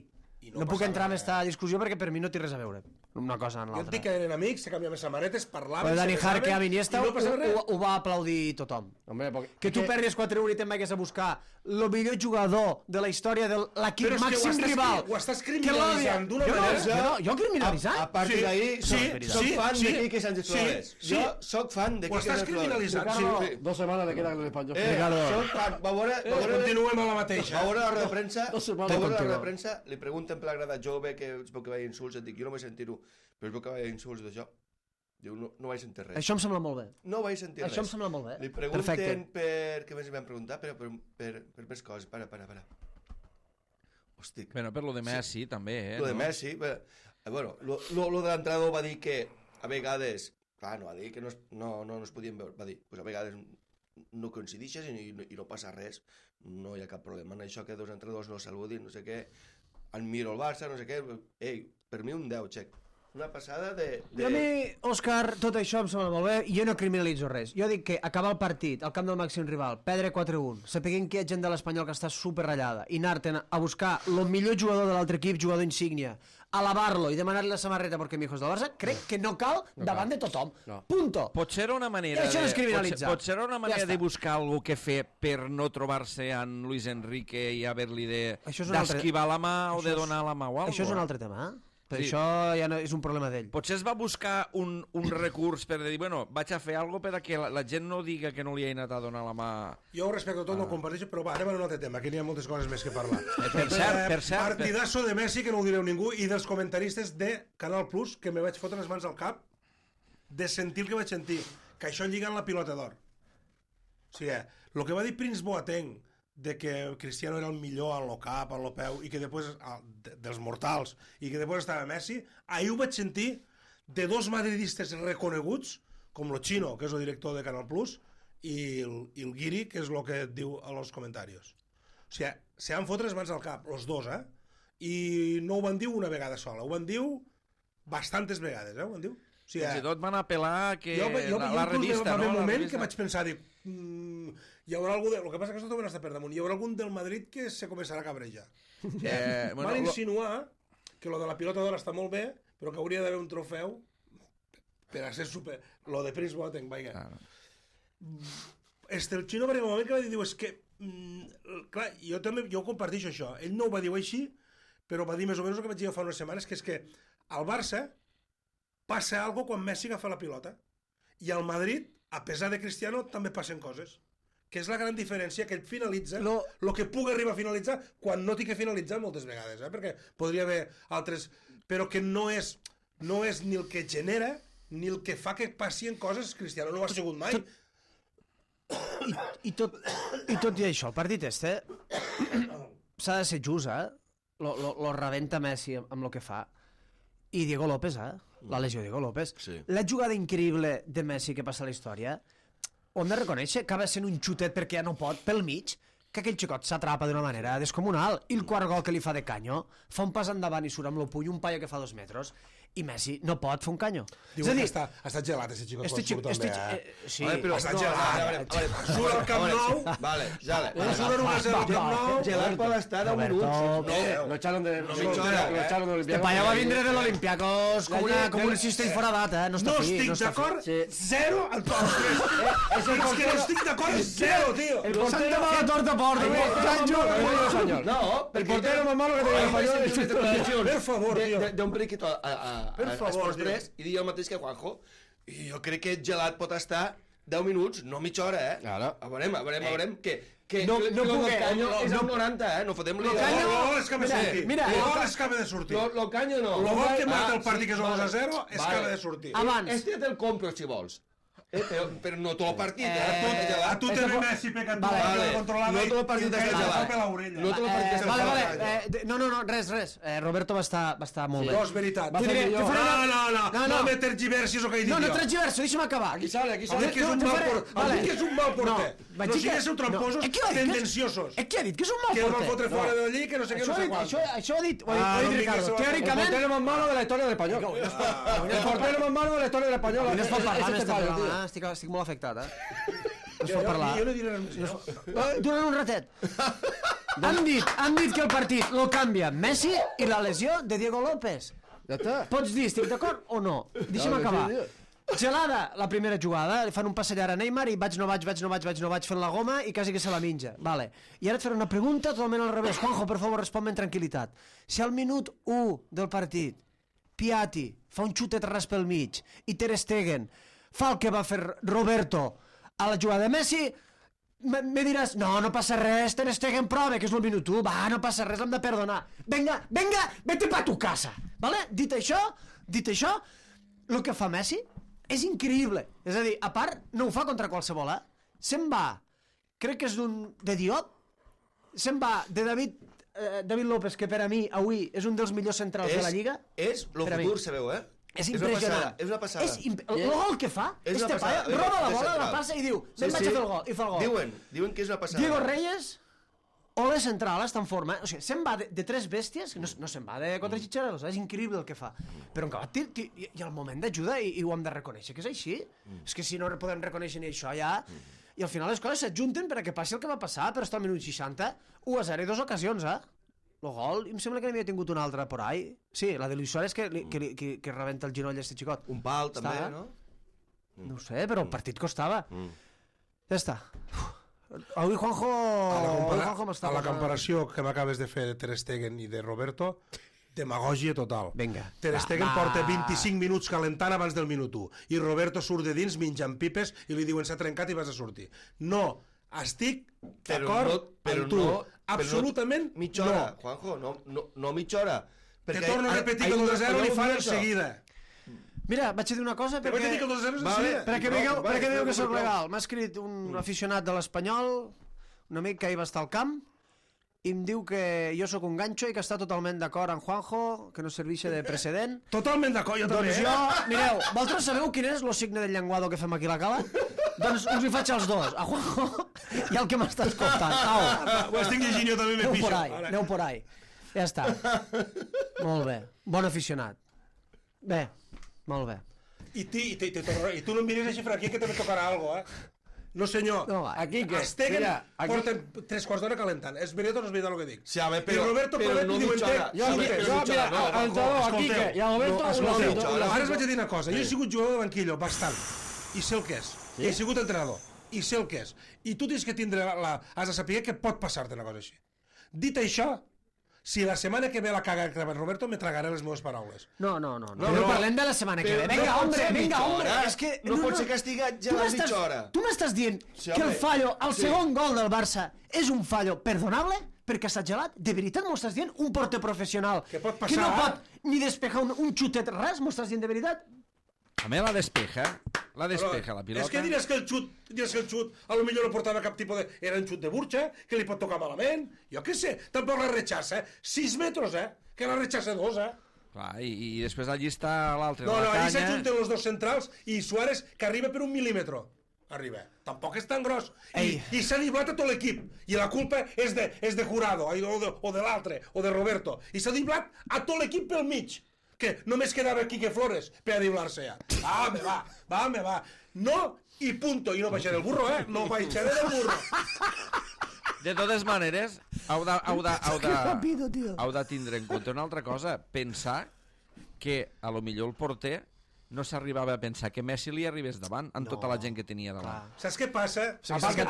no puc entrar en aquesta discussió perquè per mi no té res a veure una cosa en Jo et l'altra. dic que eren amics, se canviaven samarretes, parlaven, Però Dani se besaven, Jarque a Iniesta i no passava res. ho va aplaudir tothom. Hombre, porque... Que tu perdis 4-1 i te'n vagis a buscar el millor jugador de la història de l'equip màxim rival. Ho estàs criminalitzant d'una manera... Jo criminalitzant? A partir d'ahí, soc fan de Quique Sánchez Flores. Jo soc fan de Ho Quique estàs Sánchez Flores. criminalitzant. 2 semanas le quedan en el español. Soc fan. Va veure... Continuem a la mateixa. A veure la roda de premsa, contigo. li pregunten per la grada jove que es veu que veia insults, et dic, jo no vaig sentir-ho, però es veu que veia insults d'això. Diu, no vaig sentir res. Això em sembla molt bé. No vaig sentir res. Això em sembla molt bé. Li pregunten per... Què més li van preguntar? Per més coses. Para. Hosti. Bueno, per lo de Messi, també, Lo de Messi... Bueno, lo de l'entrenador va dir que a vegades... Clar, no va dir que no es podien veure. Va dir, pues a vegades no coincidixes i no passa res. No hi ha cap problema en això que 2 entrenadors no saludin, no sé què. Admiro el Barça, no sé què. Ei, per mi un 10, xec. Una passada de... A mi, Òscar, tot això em sembla molt bé i jo no criminalitzo res. Jo dic que acabar el partit al camp del màxim rival, perdre 4-1, sapiguent que hi ha gent de l'Espanyol que està superratllada i anar-te'n a buscar el millor jugador de l'altre equip, jugador insígnia, alabar-lo i demanar-li la samarreta perquè mi hijo és del Barça, crec que no cal davant de tothom. Punto. Potser era una manera, I això no és criminalitzar. potser era una manera de buscar algú que fer per no trobar-se amb Luis Enrique i haver-li d'esquivar la mà o de donar la mà o alguna cosa. Això és un altre tema, eh? Per Sí. això ja no és un problema d'ell. Potser es va buscar un recurs per dir, bueno, vaig a fer alguna cosa perquè la gent no diga que no li he anat a donar la mà. Jo ho respecto tot, no ho comparteixo, però va, anem a un altre tema, que n'hi ha moltes coses més que parlar. Per cert. Partidazo de Messi, que no ho direu ningú, i dels comentaristes de Canal Plus, que me vaig fotre les mans al cap de sentir el que vaig sentir, que això lliga en la pilota d'or. O sigui, el que va dir Prince Boateng, de que Cristiano era el millor en lo cap, en lo peu, i que després, dels mortals, i que després estava Messi, ahir ho vaig sentir de dos madridistes reconeguts, com lo Chino, que és el director de Canal Plus, i el Guiri, que és el que diu a los comentaris. O sigui, se han fotre les mans al cap, los dos, eh? I no ho van dir una vegada sola, ho van dir bastantes vegades, ho van dir. O sigui, Fins i tot van apel·lar que la inclús revista, va haver no? un La moment revista. que vaig pensar, dic, hi haurà algú el que passa que això també està per damunt, hi haurà algun del Madrid que se començarà a cabrejar. Van insinuar que lo de la pilota d'or està molt bé, però que hauria d'haver un trofeu per a ser super... Lo de Prince Boateng, vaja. Claro. El Chino va arribar un moment que va dir, diu, és que... clar, jo comparteixo això. Ell no ho va dir així, però va dir més o menys el que vaig dir fa unes setmanes, que és que al Barça passa algo quan Messi agafa la pilota. I al Madrid, a pesar de Cristiano, també passen coses. Que és la gran diferència, que ell finalitza el que pugui arribar a finalitzar quan no té que finalitzar moltes vegades, perquè podria haver altres... Però que no és ni el que genera ni el que fa que passin coses. Cristiano no ho ha sigut mai. I tot i això, el partit este s'ha de ser just, eh? Lo rebenta Messi amb el que fa. I Diego López, la lesió Diego López. Sí. La jugada increïble de Messi que passa a la història, ho hem de reconèixer, acaba sent un xutet perquè ja no pot, pel mig, que aquell xicot s'atrapa d'una manera descomunal. I el quart gol que li fa de canyo, fa un pas endavant i surt amb el puny, un paio que fa 2 metres, i Messi no pot fer un canyo. Diu que està gelat, aquest xicot, quan surt també, sí, però està gelat. Surt al Camp Nou, Vale, ja. surt 1-0 al Camp Nou, Gelat pot estar 10 minuts. Lo echaron de Este Olympiacos. paio va vindre de l'Olympiacos com un cistell fora data, no està no fi. estic d'acord, Sí. 0 al top 3. És que no estic d'acord, 0, tio. El S'han portero tomat la torta porta, No, el portero más malo que tenía el español. Per favor, tio. De un briquito a Per favor, Esports 3 i dir el mateix que Juanjo. I jo crec que gelat pot estar 10 minuts, no mitja hora, eh? Claro. A veurem, que No lo del puguem, canyo és no- el 90, eh? No fotem li... El gol és que me sortir. mira, El gol és que me de sortir. Lo canyo no. El gol que mata el sí, partit, que és el 2-0, és que vale. ha de sortir. Abans. Este te'l compro, si vols. Però no tot el partit, A tu te ve Messi pecat tu, Vale. controlada, No tot el partit i està que gelat. per l'orella. No tot el partit està Vale, gelat. no, res. Roberto va estar molt bé. No, és veritat. Va fer millor. No me tergiversis el que he dit No jo. tergiverso, deixa'm acabar. Aquí sale. Has dit que és un mal porter. Has dit que és un mal porter. vaig No dir que- siguéssiu tramposos, No, qui ha dit que és- tendenciosos. Qui ha dit que és un mal Que el van porter? fotre fora de allí, que no sé què, no sé quant. Això ho ha dit no em Ricardo. diguis, El Teòricament... portero más malo de la historia del español. El portero más malo de la historia del español. No es pot parlar Es en este este payo, programa, tío. estic molt afectat, No es pot parlar. Jo no diré res més. Durant un ratet. Han dit que el partit lo canvia Messi i la lesió de Diego López. Ya está. Pots dir, estic d'acord o no? Deixa'm Claro que acabar. sí, tío. Gelada, la primera jugada, li fan un passellar a Neymar i vaig, no vaig fent la goma i quasi que se la menja. Vale. I ara et faré una pregunta totalment al revés. Juanjo, per favor, respon-me en tranquil·litat. Si al minut 1 del partit Piatti fa un xutet ras pel mig i Ter Stegen fa el que va fer Roberto a la jugada de Messi, me diràs, no passa res, Ter Stegen prova, que és el minut 1, va, no passa res, l'hem de perdonar. Venga, vete pa tu casa. Vale? Dit això, el que fa Messi és increïble. És a dir, a part, no ho fa contra qualsevol, Se'n va, crec que és de Diop, se'n va de David López, que per a mi, avui, és un dels millors centrals de la Lliga. És el Per a mi. futur, sabeu, És impressionant. És una passada. El gol que fa, És una este paio, passada. roba la És bola, la central. passa i diu, vaig a fer el gol, i fa el gol. Diuen que és una passada. Diego Reyes, Ole Central està en forma, o sigui, se'n va de tres bèsties, no se'n va de contra Xitxareros, és increïble el que fa, però en acabat i al moment d'ajuda i ho hem de reconèixer que és així, és que si no podem reconèixer ni això ja, i al final les coses s'adjunten perquè passi el que va passar, però està al minut 60, 1-0 i 2 ocasions, el gol, em sembla que n'havia tingut una altra por ahí, sí, la de Luis Suárez que rebenta el ginoll este xicot. Un pal també, no? No ho sé, però el partit costava. Ja està. Avui Juanjo a la comparació que m'acabes de fer de Ter Stegen i de Roberto, demagògia total. Vinga. Ter Stegen porta 25 minuts calentant abans del minut 1 i Roberto surt de dins menjant pipes i li diuen s'ha trencat i vas a sortir. No, estic d'acord amb tu. Absolutament no. Mitja hora, Juanjo, no mitja hora. Te torno a repetir que el 2-0 li fan en seguida. Mira, vaig a dir una cosa perquè... Perquè veieu que soc legal. M'ha escrit un aficionat de l'Espanyol, un amic que ahir va estar al camp, i em diu que jo sóc un ganxo i que està totalment d'acord amb Juanjo, que no serveixi de precedent. Totalment d'acord, jo també. Doncs jo, mireu, vosaltres sabeu quin és el signe del llenguado que fem aquí a la cala? Doncs us hi faig als dos, a Juanjo i al que m'està escoltant. Au. Ho estic llegint jo també, me pixo. Aneu por ahí. Ja està. Molt bé. Bon aficionat. Bé. Molt bé. I tu no em mires així, aquí que també tocarà alguna cosa, No, senyor. No, aquí que... Stegen porten 3 quarts d'hora calentant. És veritat o no és veritat el que dic? Sí, a ver, pero, I Roberto pero no mitja hora. Jo, mira, al entrenador, aquí que... I a Roberto... Ara us vaig a dir una cosa. Jo he sigut jugador de banquillo, bastant. I sé el que és. He sigut entrenador. I sé el que és. I tu tens que tindre has de saber que pot passar-te una cosa així. Dit això, si la setmana que ve la caga Roberto, me tragaré les meves paraules. No parlem de la setmana que ve. Vinga, hombre. És que no pot ser castigat ja a la mitja hora. Tu m'estàs dient que el fallo, el segon gol del Barça, és un fallo perdonable perquè s'ha gelat? De veritat m'ho estàs dient? Un porter professional que no pot ni despejar un xutet, res? M'ho estàs dient de veritat? A mi la despeja la pilota. És que diràs que el xut, a lo millor no portava cap tipus de... Era un xut de burxa, que li pot tocar malament. Jo què sé, tampoc la rechaça, 6 metres, que la rechaça 2, Clar, i després allí està l'altre, No, la canya... allí s'ajunten els dos centrals i Suárez, que arriba per 1 mil·límetre. Arriba. Tampoc és tan gros. I s'ha diblat a tot l'equip. I la culpa és de Jurado, o de l'altre, o de Roberto. I s'ha diblat a tot l'equip pel mig. Que només quedava Quique Flores per a diblar-se ja. Va. No, i punto. I no baixaré del burro, No baixaré del burro. De totes maneres, heu de tindre en compte una altra cosa. Pensar que a lo millor el porter no s'arribava a pensar que Messi li arribés davant amb tota la gent que tenia davant. Saps què passa? Saps que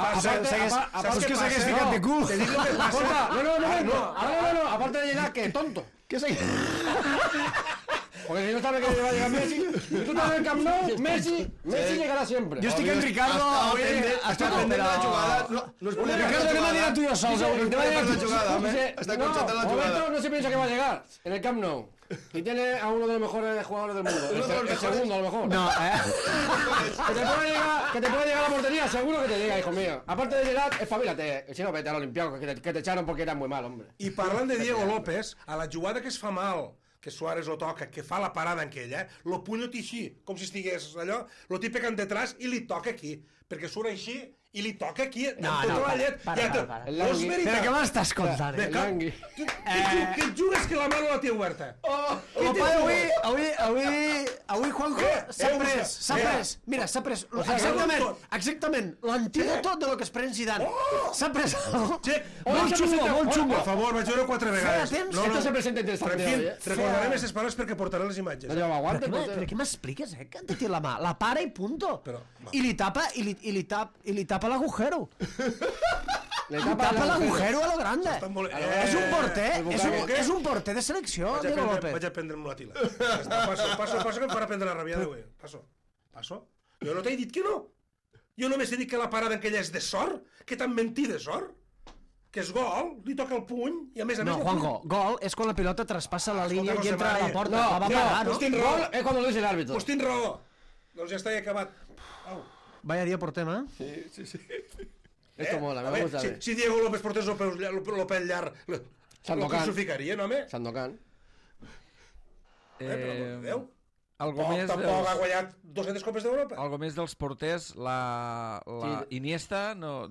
s'hagués ficat de cul. Te dic el que passa. No, aparte de llegar, que tonto. ¿Qué sé? Porque si no sabe que va a llegar Messi, y tú estás en el Camp Nou, Messi llegará siempre. Jo estic en Ricardo... Està pendent la jugada. No es podía Ricardo, ¿qué me dirás tú yo sols? la jugada, Está concentrada la jugada. Roberto no se piensa que va a llegar en el Camp Nou. Y tiene a uno de los mejores jugadores del mundo. El segundo, a lo mejor. No, Que te puede llegar a la portería, seguro que te llega, hijo mío. Aparte de llegar, espabilate. Si no, vete al Olimpiaco, que te echaron porque eras muy mal, hombre. I parlant de Diego López, a la jugada que es fa mal, que Suárez lo toca, que fa la parada en aquella, lo puny així, com si estigués allò, lo té pegant detrás i li toca aquí, perquè surt així i li toca aquí, para. No és veritat. Però què m'estàs contant? Que et jugues que la mano la té oberta. Avui Juanjo s'ha pres, mira, s'ha pres exactament l'antídoto de lo que es pren Zidane. S'ha pres molt xungo. Per favor, vaig veure 4 vegades. Esto se presenta interesante. Recordarem aquestes paraules perquè portaré les imatges. Però què m'expliques, que han de dir la mà? La para i punto. I li tapa l'agujero. Le tapa l'agujero a lo grande. És un porter de selecció, Diego López. Vaig a prendre'm la tila. Passo, que em farà prendre la rabiada, güey. Passo. Jo no t'he dit que no. Jo només he dit que la parada aquella és de sort, que t'han mentit de sort. Que és gol, li toca el puny, i a més... No, Juanjo, gol és quan la pilota traspassa la línia i entra a la porta. No, pues tens raó. És quan lo dice el árbitro. Pues tens raó. Doncs ja està, he acabat. Vaya día por tema, Sí. Esto mola, me gusta. Si Diego López portés el pèl llarg, lo crucificarien, home? Sandokan. Per l'amor de Déu. Tampoc ha guanyat 200 copes d'Europa. Algo més dels porters, la Iniesta, no...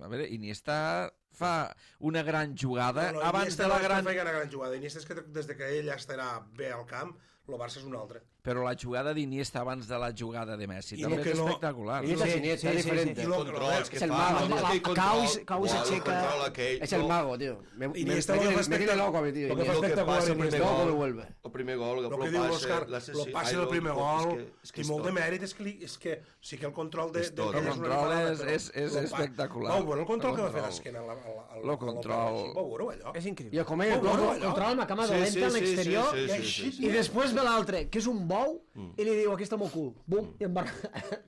A veure, Iniesta fa una gran jugada, abans Iniesta de la no gran... feia una gran jugada. Iniesta és que des que ell estarà bé al camp, el Barça és un altre. Però la jugada d'Iniesta abans de la jugada de Messi I també lo que és no- espectacular. Iniesta es Iniesta, es diferente. I lo- Controls que Es el fa, mago, aquell tío. control, Cau se aixeca. el control aquell, Es el mago, tío. Iniesta lo que fa me tiene espectacular. loco a mi, tío. Lo que I fa el que espectacular passa el Iniesta. primer Loco me gol, vuelve. el primer gol, El que diu l'Òscar, l'assassí, el passe del primer gol, i molt de tot. mèrit és que sí que el control de... És tot. de- El una control animalada, és- però és lo pa- espectacular. Vau veure el control El que va fer control. d'esquena Lo control. Vau veure allò? És Y increïble. el comer el Bueno, coco. allò. Controla amb la cama Sí, dolenta sí, a sí, l'exterior sí, I sí, així, sí, i després ve l'altre, que és un bou, i li diu, aquí està el meu cul. Bum, i em va...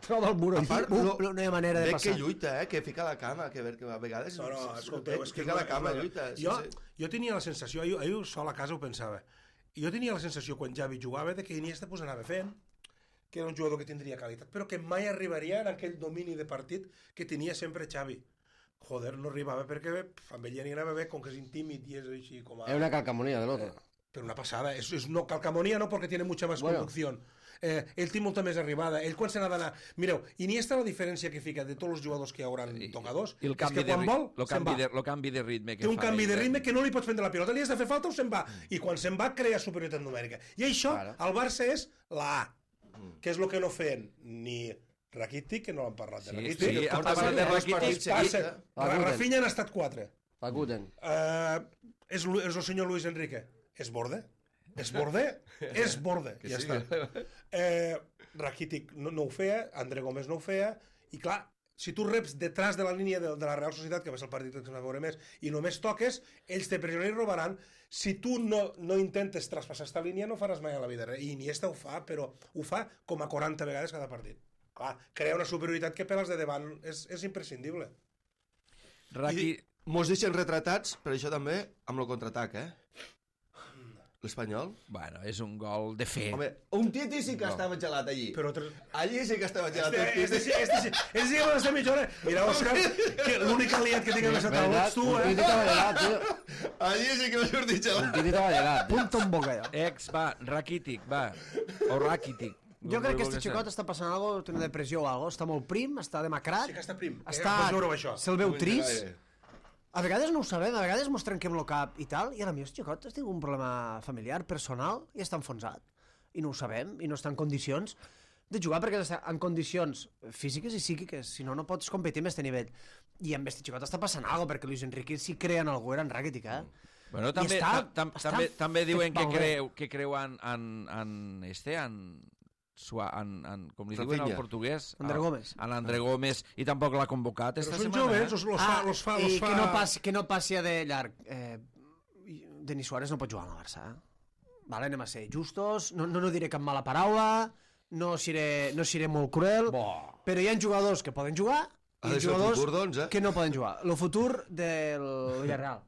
troba el mur A aquí. part, Bum, no hi ha manera de Veig passar. que lluita, que fica la cama, que a vegades... No, escolteu, és que... Fica la cama, lluita. Jo tenia la sensació, jo sol a casa ho pensava, jo tenia la sensació quan Xavi jugava de que Iniesta pues anava fent, que era un jugador que tindria qualitat, però que mai arribaria en aquell domini de partit que tenia sempre Xavi. Joder, no arribava perquè amb ell ja n'hi anava bé, com que és intímid i és així com a... Es una calcamonía del otro. Pero una pasada, es no, calcamonía no porque tiene mucha más Bueno. conducción. Ell té molta més arribada, ell quan se n'ha d'anar... Mireu, Iniesta la diferència que fica de tots els jugadors que hi haurà tocadors I el és canvi que de, quan vol, se'n va. el canvi de ritme que Té un fa canvi ell, de ritme que no li pots prendre la pilota, li has de fer falta o se'n va. I quan se'n va crea superioritat numèrica. I això, Claro. al Barça és la A, que és el que no feien ni Rakitic, que no l'han parlat de Sí, Rakitic. sí, han porta parlat de dos Rakitic. partits Passa, seguits, Rafinha han estat 4. Fakuten. És el senyor Luis Enrique. És borde? És borde? És borde. Ja sí. està. Rakitic no ho feia, André Gómez no ho feia, i clar, si tu reps detrás de la línia de la Real Societat, que va ser el partit que ens va veure més, i només toques, ells te pressionen i robaran. Si tu no intentes traspassar aquesta línia, no faràs mai a la vida res. I Iniesta ho fa, però ho fa com a 40 vegades cada partit. Clar, crea una superioritat que per als de davant és imprescindible. Raki... Mos deixen retratats, per això també, amb el contraatac, l'Espanyol. Bueno, és un gol de fe. Home, un Titi sí que estava gelat allí. Però Allí sí que estava gelat. Este sí que va estar mitja hora. Mira, Òscar, que l'únic aliat que tinc a més a taula ets tu, Un titi estaba gelat, tío. Allí sí que va sortir Un gelat. titi estaba gelat, tío. Punta un boca, allò. Va, Rakitic, va. O Rakitic. Jo crec que este xicot està passant alguna cosa, té una depressió o alguna cosa, està molt prim, està demacrat, Sí que està prim. està... Pots veure això. Se'l veu trist. Gaire. A vegades no ho sabem, a vegades mos trenquem el cap i tal, i ara mi, el xicot ha tingut un problema familiar, personal, i està enfonsat. I no ho sabem, i no està en condicions de jugar, perquè està en condicions físiques i psíquiques, si no, no pots competir amb aquest nivell. I amb aquest xicot està passant alguna cosa, perquè Luis Enrique si crea en algú era en Rakitic, Bueno, I està també diuen que malbé. creu en com li diuen al Rafinha. portuguès? André Gómez. En André Gómez, i tampoc l'ha convocat Però esta són setmana. joves, los fa... i que no passi a de llarg. Denis Suárez no pot jugar al Barça. Vale, anem a ser justos, no diré cap mala paraula, no seré molt cruel, però hi ha jugadors que poden jugar Ha i de ser el jugadors futur, doncs, que no poden jugar. El futur del Villarreal,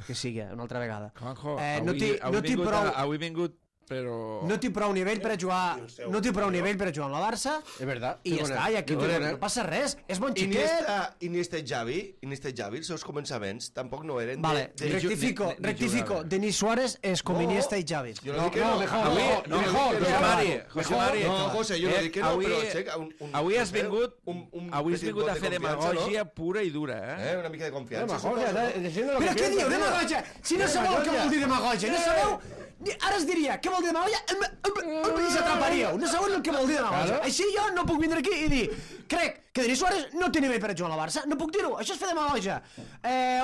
que sigui, una altra vegada. Juanjo, no avui vingut, però... No té prou nivell per a jugar, no té prou nivell per a jugar amb la Barça, Es verdad. i ja està, i aquí no passa res, és bon xiquet. Iniesta i Xavi, els seus començaments tampoc no eren Vale, rectifico, Denis Suárez és com Iniesta i Xavi. Jo no dic que no. José Mari, No, José, jo no dic que no, però aixeca avui has vingut a fer de demagògia pura i dura, eh? Una mica de confiança. Però què diu, demagògia? Si no sabeu què vol dir demagògia, no sabeu... Ara es diria, què vol dir demagògia? I s'atraparíeu, no sabeu el que vol dir demagògia. Així jo no puc vindre aquí i dir crec que Denis Suárez no té nivell per a jugar a la Barça, no puc dir-ho, això és fer demagògia.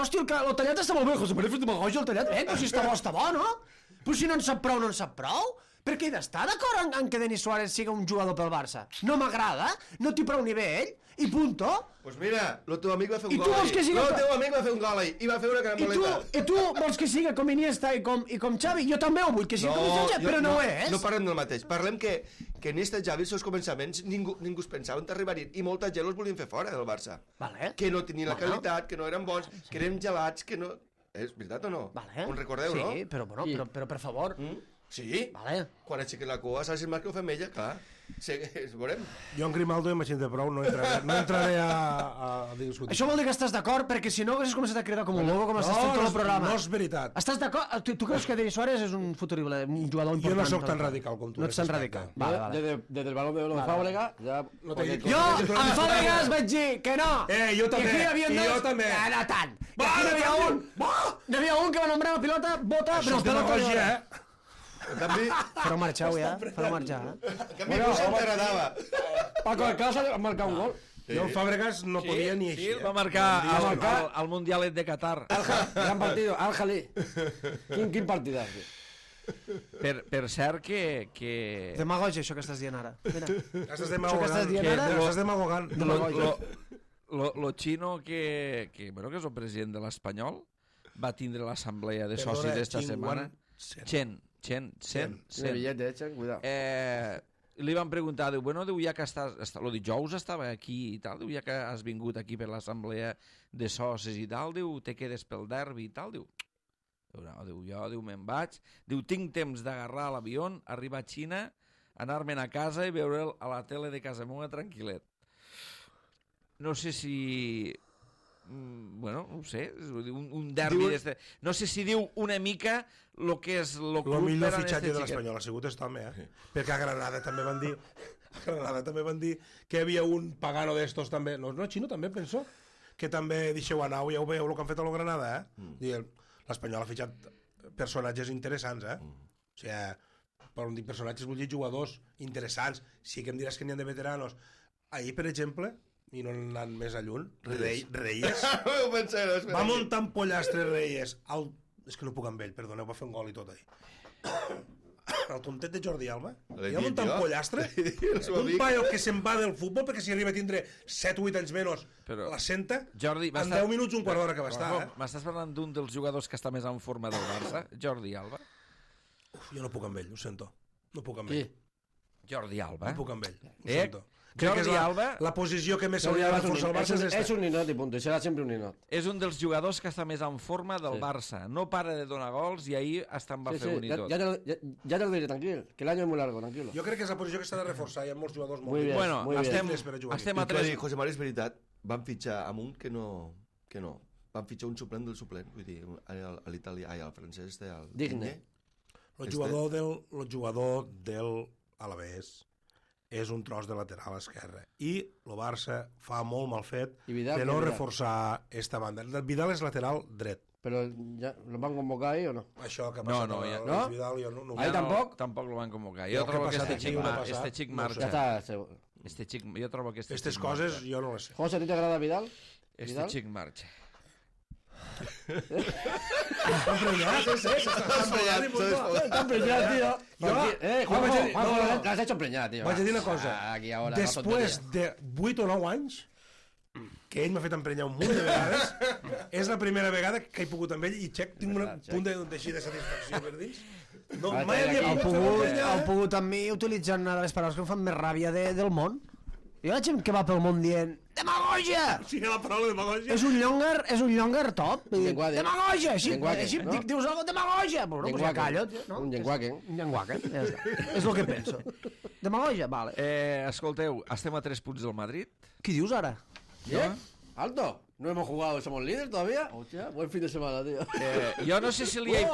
Hòstia, el tallat està molt bé, José María, fer demagògia el tallat, però si està bo, no? Però si no en sap prou, no en sap prou. Perquè he d'estar d'acord en que Denis Suárez sigui un jugador pel Barça. No m'agrada, no té prou nivell, i punto. Pues mira, el teu amic va fer un I tu gol vols que ahir. sigui- El teu amic va fer un gol ahir i va fer una caramboleta. I tu vols que sigui com Iniesta i com Xavi? Jo també ho vull que sigui com Iniesta, però no ho és. No parlem del mateix. Parlem que Iniesta i Xavi, els seus començaments, ningú es pensava on arribarien i molta gent els volien fer fora del Barça. Vale. Que no tenien la qualitat, que no eren bons, que eren gelats, que no... És veritat o no? Vale. Ho recordeu, sí, no? però per favor. Sí? Vale. Quan aixequen la cua, saps el marc que ho fem ella, clar. Veurem. Jo en Grimaldo i Machín de prou no entraré a discutir. Això vol dir que estàs d'acord, perquè si no haguessis començat a cridar com un loco, com estàs fent tot el programa. No és veritat. Estàs d'acord? Tu creus que Denis Suárez és un futurible, un jugador important? Jo no sóc tan radical com tu. No ets tan radical. Vale. Desde el balón de oro de Fábregas, ya... Jo, amb Fàbregas vaig dir que no. Jo també. I jo també. No tant. I aquí n'hi havia un que va nombrar la pilota, bota, però Això és demagogia, En canvi, Fareu marxar, ja. Fareu marxar. en canvi Cuixart t'agradava. Paco Alcácer ha marcat un gol. Jo el Fàbregas no podia ni Sí, així. va marcar al Mundialet de Qatar. Gran partido, Al-Jalí. Quin partidazo. Per cert que... Demagogia, això que estàs dient ara. Mira. Estàs estàs dient ara? Estàs demagogant. Lo xino que és el president de l'Espanyol va tindre l'assemblea de socis d'esta setmana. Chen. El billete, cuidado. Li van preguntar, diu, bueno, ja que lo dijous estava aquí i tal, diu, ja que has vingut aquí per l'assemblea de socis i tal, diu, te quedes pel derbi i tal, diu, no, diu, jo me'n vaig, diu, tinc temps d'agarrar l'avió, arribar a Xina, anar-me'n a casa i veure'l a la tele de casa meva tranquil·let. No sé si... Bueno, no ho sé, un derbi d'este... No sé si diu una mica el que és el club... El millor fitxatge de l'Espanyol ha sigut aquest home, perquè a Granada també van dir que hi havia un pagano d'estos també, no, Xino també penso, que també deixeu anar, ja ho veieu el que han fet a la Granada, l'Espanyol ha fitxat personatges interessants, o sigui, per on dic personatges vull dir jugadors interessants, sí que em diràs que n'hi ha de veteranos. Ahir, per exemple, i no anant més a lluny, Reyes va muntar un pollastre Reyes és que no puc amb ell, perdoneu, va fer un gol i tot ahí el tontet de Jordi Alba i va muntar un pollastre un paio que se'n va del futbol perquè si arriba a tindre 7 o 8 anys menys la senta, en 10 minuts un quart d'hora que va estar M'estàs parlant d'un dels jugadors que està més en forma del Barça, Jordi Alba? Jo no puc amb ell, ho sento, no puc amb ell. Jordi Alba? No puc amb ell, ho sento. Jordi Alba... La posició que més hauria de reforçar el Barça és esta. És un ninot i punt, serà sempre un ninot. És un dels jugadors que està més en forma del Barça. No para de donar gols i ahir hasta en va fer un i tot. Ja te lo diré, tranquil, que l'any és molt largo, tranquilo. Jo crec que és la posició que s'ha de reforçar, hi ha molts jugadors molt bien. Bueno, estem a 3... José María, és veritat, van fitxar amb un que no. Van fitxar un suplent del suplent, vull dir, a l'italià, al francès, al Digne. El jugador del Alavés és un tros de lateral esquerre i el Barça fa molt mal fet de no reforçar esta banda. El Vidal és lateral dret. Però ja lo van convocar ahí o no? Això que ha passat no. Vidal jo no. Ahí tampoc? Tampoc lo van convocar. Jo trobo que este xic marxa. Ja està. Jo trobo que aquestes coses jo no les sé. José, a ti t'agrada Vidal? Este xic marxa. Està emprenyat, Està emprenyat, tío. Juanjo, l'has hecho emprenyat, tío. Vaig a dir una cosa. Després de 8 o 9 anys, que ell m'ha fet emprenyar un munt de vegades, és la primera vegada que he pogut amb ell i tinc un punt d'així de satisfacció per dins. No, mai havia pogut emprenyar. Heu pogut amb mi utilitzant una de les paraules que em fan més ràbia del món. Hi ha gent que va pel món dient demagogia! Sí, la paraula demagogia. És un llongar top. Demagogia! Així dius algo, demagogia! Però no, ja callo. Un llenguaque. Un llenguaque, ja està. És el que penso. Demagogia, vale. Escolteu, estem a 3 punts del Madrid. Què dius ara? ¿Qué? ¿Alto? ¿No hemos jugado, somos líderes todavía? Hostia, buen fin de semana, tío. Jo no sé si li he...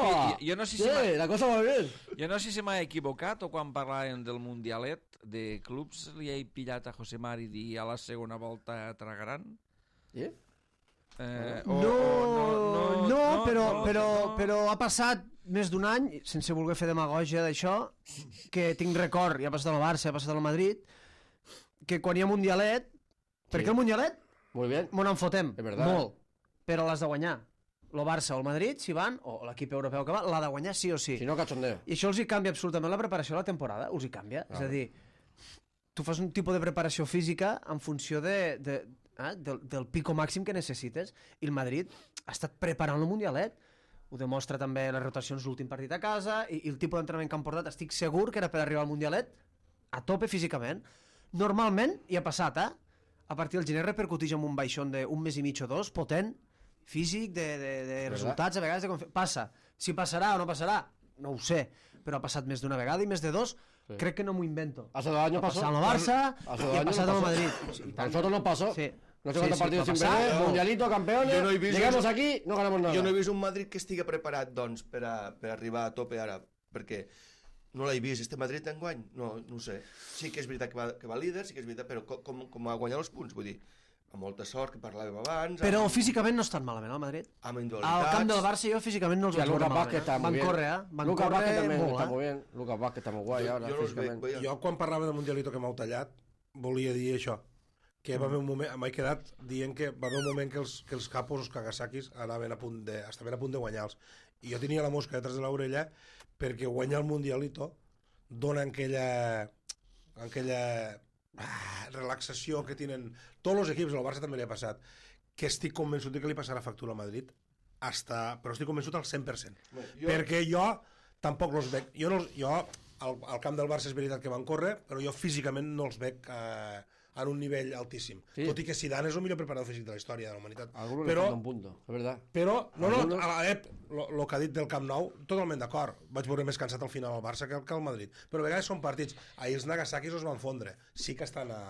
la cosa va bien. Jo no sé si m'ha equivocat o quan parlàvem del Mundialet de clubs li he pillat a José Mari i a la segona volta tragaran. Sí? Però ha passat més d'un any, sense voler fer demagògia d'això, que tinc record, ja ha passat al Barça, ha passat al Madrid, que quan hi ha Mundialet, perquè el Mundialet m'ho en fotem, molt, però l'has de guanyar. El Barça o el Madrid, si van, o l'equip europeu que va, l'ha de guanyar sí o sí. Si no, cachondeo. I això els hi canvia absolutament la preparació de la temporada, els hi canvia. És a dir, tu fas un tipus de preparació física en funció del pico màxim que necessites, i el Madrid ha estat preparant el Mundialet. Ho demostra també les rotacions l'últim partit a casa, i el tipus d'entrenament que han portat, estic segur que era per arribar al Mundialet a tope físicament. Normalment, i ha passat, a partir del gener repercuteix en un baixón d'un mes i mig o dos, potent, físic, de resultats, a vegades passa. Si passarà o no passarà, no ho sé, però ha passat més d'una vegada i més de dos, crec que no m'ho invento. Hace 2 años Ha pasó. passat al Barça Hace i 2 ha años passat no al pasó. Madrid. A nosotros nos pasó. Sí. No sé cuántos partidos va sin passar. perder, mundialito, campeones, Yo no he visto llegamos eso. aquí, no ganamos nada. Jo no he vist un Madrid que estigui preparat, doncs, per arribar a tope ara, perquè no l'he vist. Este Madrid enguany? No ho sé. Sí que és veritat que va líder, sí que és veritat, però com ha guanyat els punts? Vull dir, amb molta sort, que parlàvem abans... Però físicament no estan malament, el Madrid. Amb Al individualitats... camp del Barça jo físicament no els Sí, vaig veure Lucas Vázquez malament. está muy Van bien. córrer, Van Lucas Vázquez córrer también molt, está muy bien. Lucas Vázquez está muy guay ahora, Jo no els veig, físicamente. veia. Jo, quan parlava del Mundialito que m'heu tallat, volia dir això, que va haver un moment, m'he quedat dient que va haver un moment que els capos, els Kagasakis, estaven a punt de guanyar-los. I jo tenia la mosca detrás de l'orella perquè guanyar el Mundialito dona aquella relaxació que tenen tots els equips, al Barça també li ha passat, que estic convençut que li passarà factura al Madrid, però estic convençut al 100%. Perquè jo tampoc els veig... Jo al camp del Barça és veritat que van córrer, però jo físicament no els veig en un nivell altíssim. Sí. Tot i que Zidane és el millor preparador físic de la història de la humanitat. A algunos le falta un punto, es verdad. Però, Algunos- el que ha dit del Camp Nou, totalment d'acord. Vaig veure més cansat al final al Barça que al Madrid. Però a vegades són partits. Ahir els Nagasakis els van fondre. Sí que estan a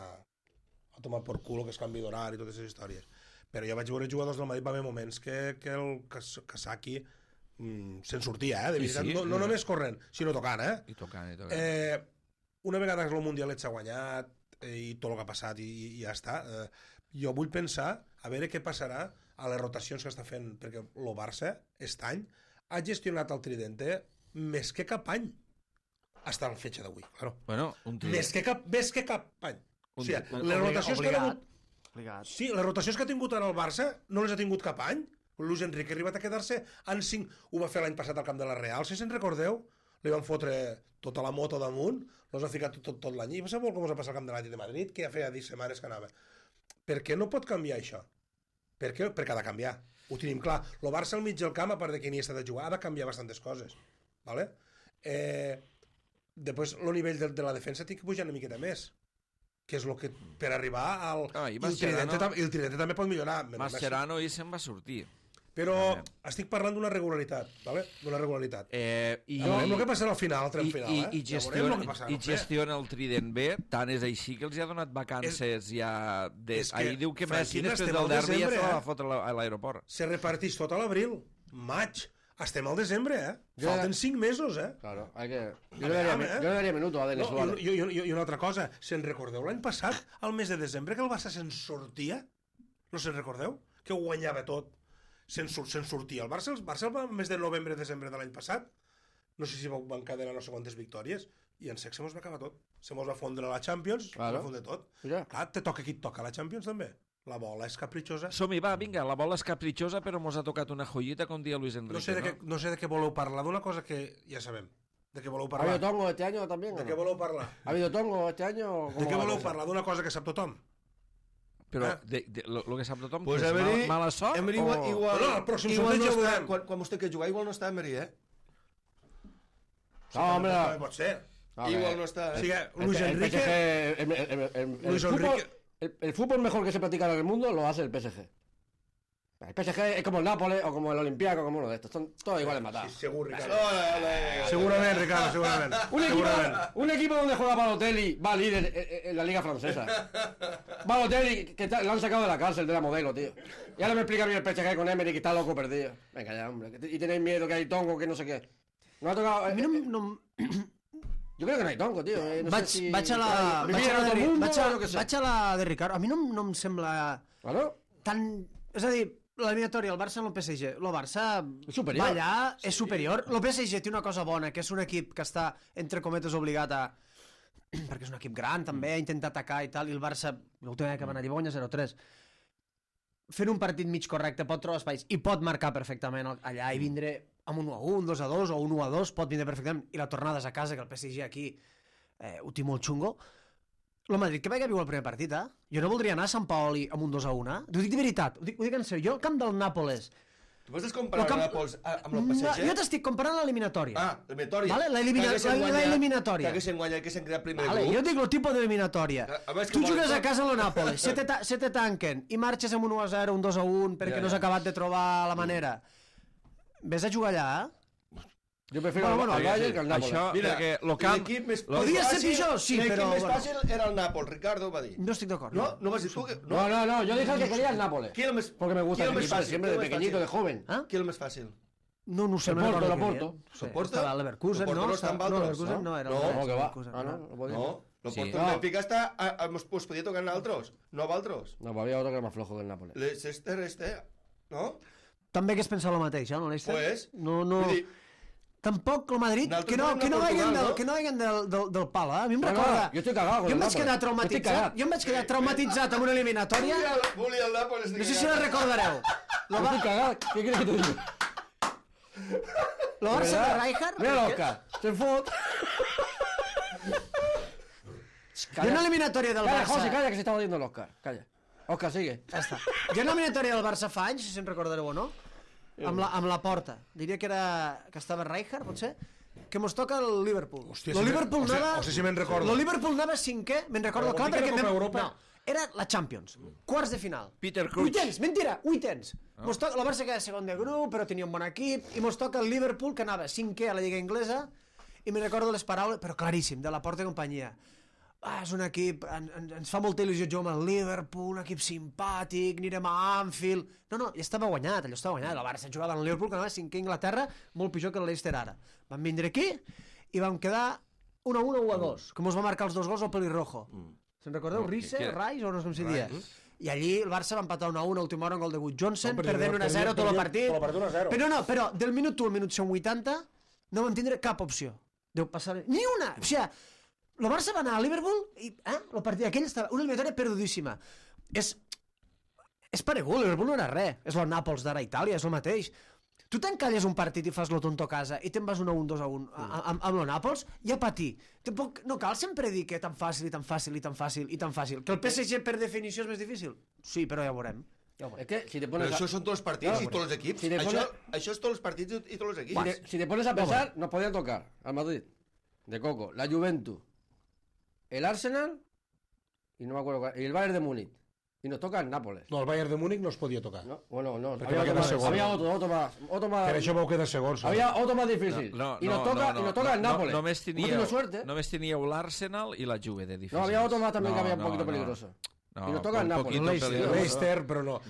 tomar por culo, que es canvi d'horari i totes aquestes històries. Però jo vaig veure jugadors del Madrid, va haver moments que el Kasaki se'n sortia, de veritat. Sí, No només corrent, sinó tocant, I tocant. Una vegada que el Mundialet s'ha guanyat i tot el que ha passat i ja està, jo vull pensar a veure què passarà a les rotacions que està fent, perquè el Barça aquest any ha gestionat el Tridente més que cap any hasta la fetge d'avui, claro. Bueno, un trident. Més que cap any. O sigui, les rotacions que ha hagut... Obligat. Sí, les rotacions que ha tingut ara el Barça no les ha tingut cap any. Luis Enrique ha arribat a quedar-se en 5. Ho va fer l'any passat al camp de la Real, si se'n recordeu. Li van fotre tota la moto damunt, els ha ficat tot l'any. I va saber com us ha passat al camp de l'Atlètic de Madrid, que ja feia 10 setmanes que anava. Per què no pot canviar això? Per què? Perquè ha de canviar. Ho tenim clar. El Barça al mig del camp, a part de que ni està de jugar, ha de canviar bastantes coses. ¿Vale? Després, el nivell de la defensa té que pujar una miqueta més, que és el que per arribar al... I el Tridente també pot millorar. Mascherano ahir se'n va sortir. Però estic parlant d'una regularitat, ¿vale? D'una regularitat. I Veurem el que passarà al final, al tram final, I Ja veurem el que passarà. gestiona el Trident bé, tant és així que els ha donat vacances ja... és que, Ahir diu que Messi Francina, després estem del al derbi ja desembre, se la va fotre a l'aeroport. Se reparteix tot a l'abril, maig. Estem al desembre, Falten 5 mesos, Claro, hay que... Yo le daría minutos a Denis Suárez. I una altra cosa, se'n recordeu l'any passat, al mes de desembre, que el Barça se'n sortia? No se'n recordeu? Que ho guanyava tot. Se'n sortia. El Barça al mes de novembre-desembre de l'any passat, no sé si va encadenar no sé quantes victòries, i en sec se mos va acabar tot. Se mos va fondre la Champions, se va fondre tot. Mira. Clar, te toca qui et toca la Champions també. La bola és capritxosa. Som-hi, va, vinga, la bola és capritxosa, però mos ha tocat una joyita, com dia Luis Enrique, No sé de què voleu parlar, d'una cosa que ja sabem. De què voleu ¿Ha parlar? habido tongo este año también? De què voleu parlar? ¿Ha habido tongo este año? De què voleu parlar? D'una cosa que sap tothom? Però lo que sap tothom, Pues que és Emery, mala sort Emery o... igual, No, el pròxim igual sorteig no ja ho està, veurem. quan vostè que jugar, igual no està Emery, No, hombre. També pot ser. Igual no està, O sigui, Luis Enrique... Luis Enrique... El fútbol mejor que se practica en el mundo lo hace el PSG. El PSG es como el Nápoles o como el Olympiacos, como uno de estos. Son todos iguales matados. Sí, segur, Ricardo. Ole. Segurament, Ricardo, segurament. Un equipo donde juega Balotelli va líder en la liga francesa. Balotelli, que lo han sacado de la cárcel de la modelo, tío. Y ahora me explica a mí el PSG con Emery que está loco perdido. Venga ya, hombre. Y tenéis miedo que hay tongo, que no sé qué. No ha tocado... A mi no... Yo creo que no hay tongo, tío. No Vaig, sé si... vaig a la... Vivir en otro mundo, o lo que sea. Vaig a la de Ricardo. A mi no em sembla Claro. tan... És a dir, l'eliminatòria, el Barça no el PSG. El Barça superior. va allà, és superior. El PSG té una cosa bona, que és un equip que està, entre cometes, obligat a... perquè és un equip gran, també, a intentar atacar i tal, i el Barça, l'última vegada que van allà, va guanyar 0-3. Fent un partit mig correcte pot trobar espais i pot marcar perfectament allà i vindre amb un 1-1, 2-2 o un 1-2, pot vindre perfectament, i la tornada és a casa, que el PSG aquí ho té molt xungo. El Madrid que vaig viu el primer partit, Jo no voldria anar a Sant Paoli amb un 2-1, Ho dic de veritat, ho dic en sèrio. Jo, el camp del Nàpoles... Tu m'estàs comparant el Nàpols amb el PSG? Jo t'estic comparant l'eliminatòria. L'eliminatòria. Vale? L'eliminatòria. Que haguessin guanyat, que s'han creat primer Vale, jo grup. dic el tipus d'eliminatòria. Abans que Tu volen jugues a tot. casa a la Nàpoles, se te tanquen i marxes amb un 1-0, un 2-1 perquè no has acabat de trobar la manera. Ves a jugar allà, Jo prefiero el Bayern que el Nàpols. Això, perquè el camp... Podia ser pitjor, sí, però... L'equip més fàcil era el Nàpols, Ricardo va dir. No estic d'acord. No vas dir tu que... No, yo dije el que quería el Nápoles. ¿Quién es el más- Porque me gusta quién el es equipo más siempre de fácil? pequeñito, de joven. Qui és el més fàcil? No sé, El no Porto, recordo el què Porto. deien. Sí, Porto? estava a Leverkusen, El Porto no? no està amb No, altres, Leverkusen no? no era. No, No, que va. Leverkusen, Ah, no, no podía. No, el Sí. Porto el Benfica està... Us podia tocar a altres, no a altres. No, pues había otro que era más flojo que el Nápoles. L'Ester no? També hagués pensat el mateix, no, l'Eister? Pues, No. vull dir, Tampoc el Madrid, Nosaltres que no venim de vagin Portugal, no? que no vagin del pal, eh? A mi em No, recorda... jo estic cagat con Jo el em vaig Nàpoles. quedar Estic traumatitzat. cagat. Jo em vaig quedar traumatitzat amb una eliminatòria. volia el Nàpols. No sé si la recordareu. Lo estoy cagado. ¿Qué quieres que te diga? Lo Barça de Rijkaard. Mira l'Oscar. Se fot. Hi ha una eliminatòria del Calla, Barça... José, calla, que se estaba diciendo el Oscar. Calla. Oscar, sigue. Ja està. Hi ha una eliminatòria del Barça fa anys, si en recordareu o no, amb la porta. Diria que estava Rijkaard, potser, que mos toca el Liverpool. Hòstia, Lo si Liverpool o sigui, anava... o sigui, si me'n recordo. Lo Liverpool anava cinquè, me'n recordo Però clar, vol dir que perquè... la Copa Europa- No, era la Champions, quarts de final. Peter Crouch. Vuitens, mentira, vuitens. Mos toca, la Barça queda segon de grup, però tenia un bon equip, i mos toca el Liverpool, que anava cinquè a la Lliga Inglesa, i me'n recordo les paraules, però claríssim, de la Porta i companyia. És un equip, ens fa molta il·lusió jugar amb el Liverpool, un equip simpàtic, anirem a Anfield... No, ja estava guanyat, allò estava guanyat. La Barça jugava amb el Liverpool, que anava cinquè a Anglaterra, molt pitjor que el Leicester ara. Vam vindre aquí i vam quedar 1-1 o 1-2, que mos va marcar els 2 gols al pelirrojo. Se'n recordeu? No, Rice, que- Rice, o no sé com se dia? I allí el Barça va empatar 1-1 a última hora, un gol de Wood Johnson, No, perdent 1-0 tot el partit. Però perdent 1-0. Però del minut 1 al minut 180 no vam tindre cap opció. Deu passar... Ni una! O sigui, el Barça va anar a Liverpool i el partit aquell estava una eliminatòria perdudíssima. És paregut, Liverpool no era res. És el Nàpols d'ara a Itàlia, és el mateix. Tu t'encalles un partit i fas lo tonto a casa i te'n vas 1-1, 2-1 amb el Nàpols, ja patir. Tampoc, no cal sempre dir que tan fàcil i tan fàcil i tan fàcil i tan fàcil. Que el PSG per definició és més difícil? Sí, però ja ho veurem. Es que si te Però pones això són tots els partits i tots els equips. Si te Això és tots els partits i tots els equips. si te pones a pensar, nos podían tocar al Madrid, de Coco, la Juventus, el Arsenal y no me acuerdo cuál, y el Bayern de Múnich. Y nos toca el Nápoles. No, el Bayern de Múnich no es podia tocar. No, bueno, no. Perquè va quedar segon. Había otro más. Per això vau quedar segons. Había otro más difícil. y nos toca el Nápoles. Només Hemos tenido suerte. només teníeu l'Arsenal i la Juve de difícils. No, había otro más también que No, había un no, poquito no. peligroso. No, y nos toca el un Nápoles. poquito Leicester, peligroso. Leicester, però no.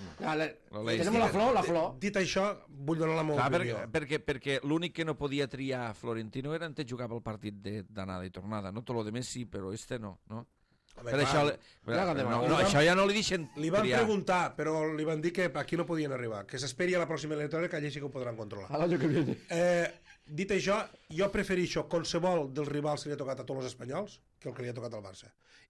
Tenemos la flor. Dit això, vull donar la meva Clar, opinió. perquè l'únic que no podia triar Florentino era en té jugar pel partit d'anada i tornada. No tot lo demés sí, però este no. Home, Per clar, això, això ja no li deixen li van triar. preguntar, però li van dir que aquí no podien arribar, que s'esperi a la pròxima eliminatòria, que allà sí que ho podran controlar. Al año que viene. Dit això, jo prefereixo qualsevol dels rivals que li ha tocat a tots els espanyols que el que li ha tocat al Barça.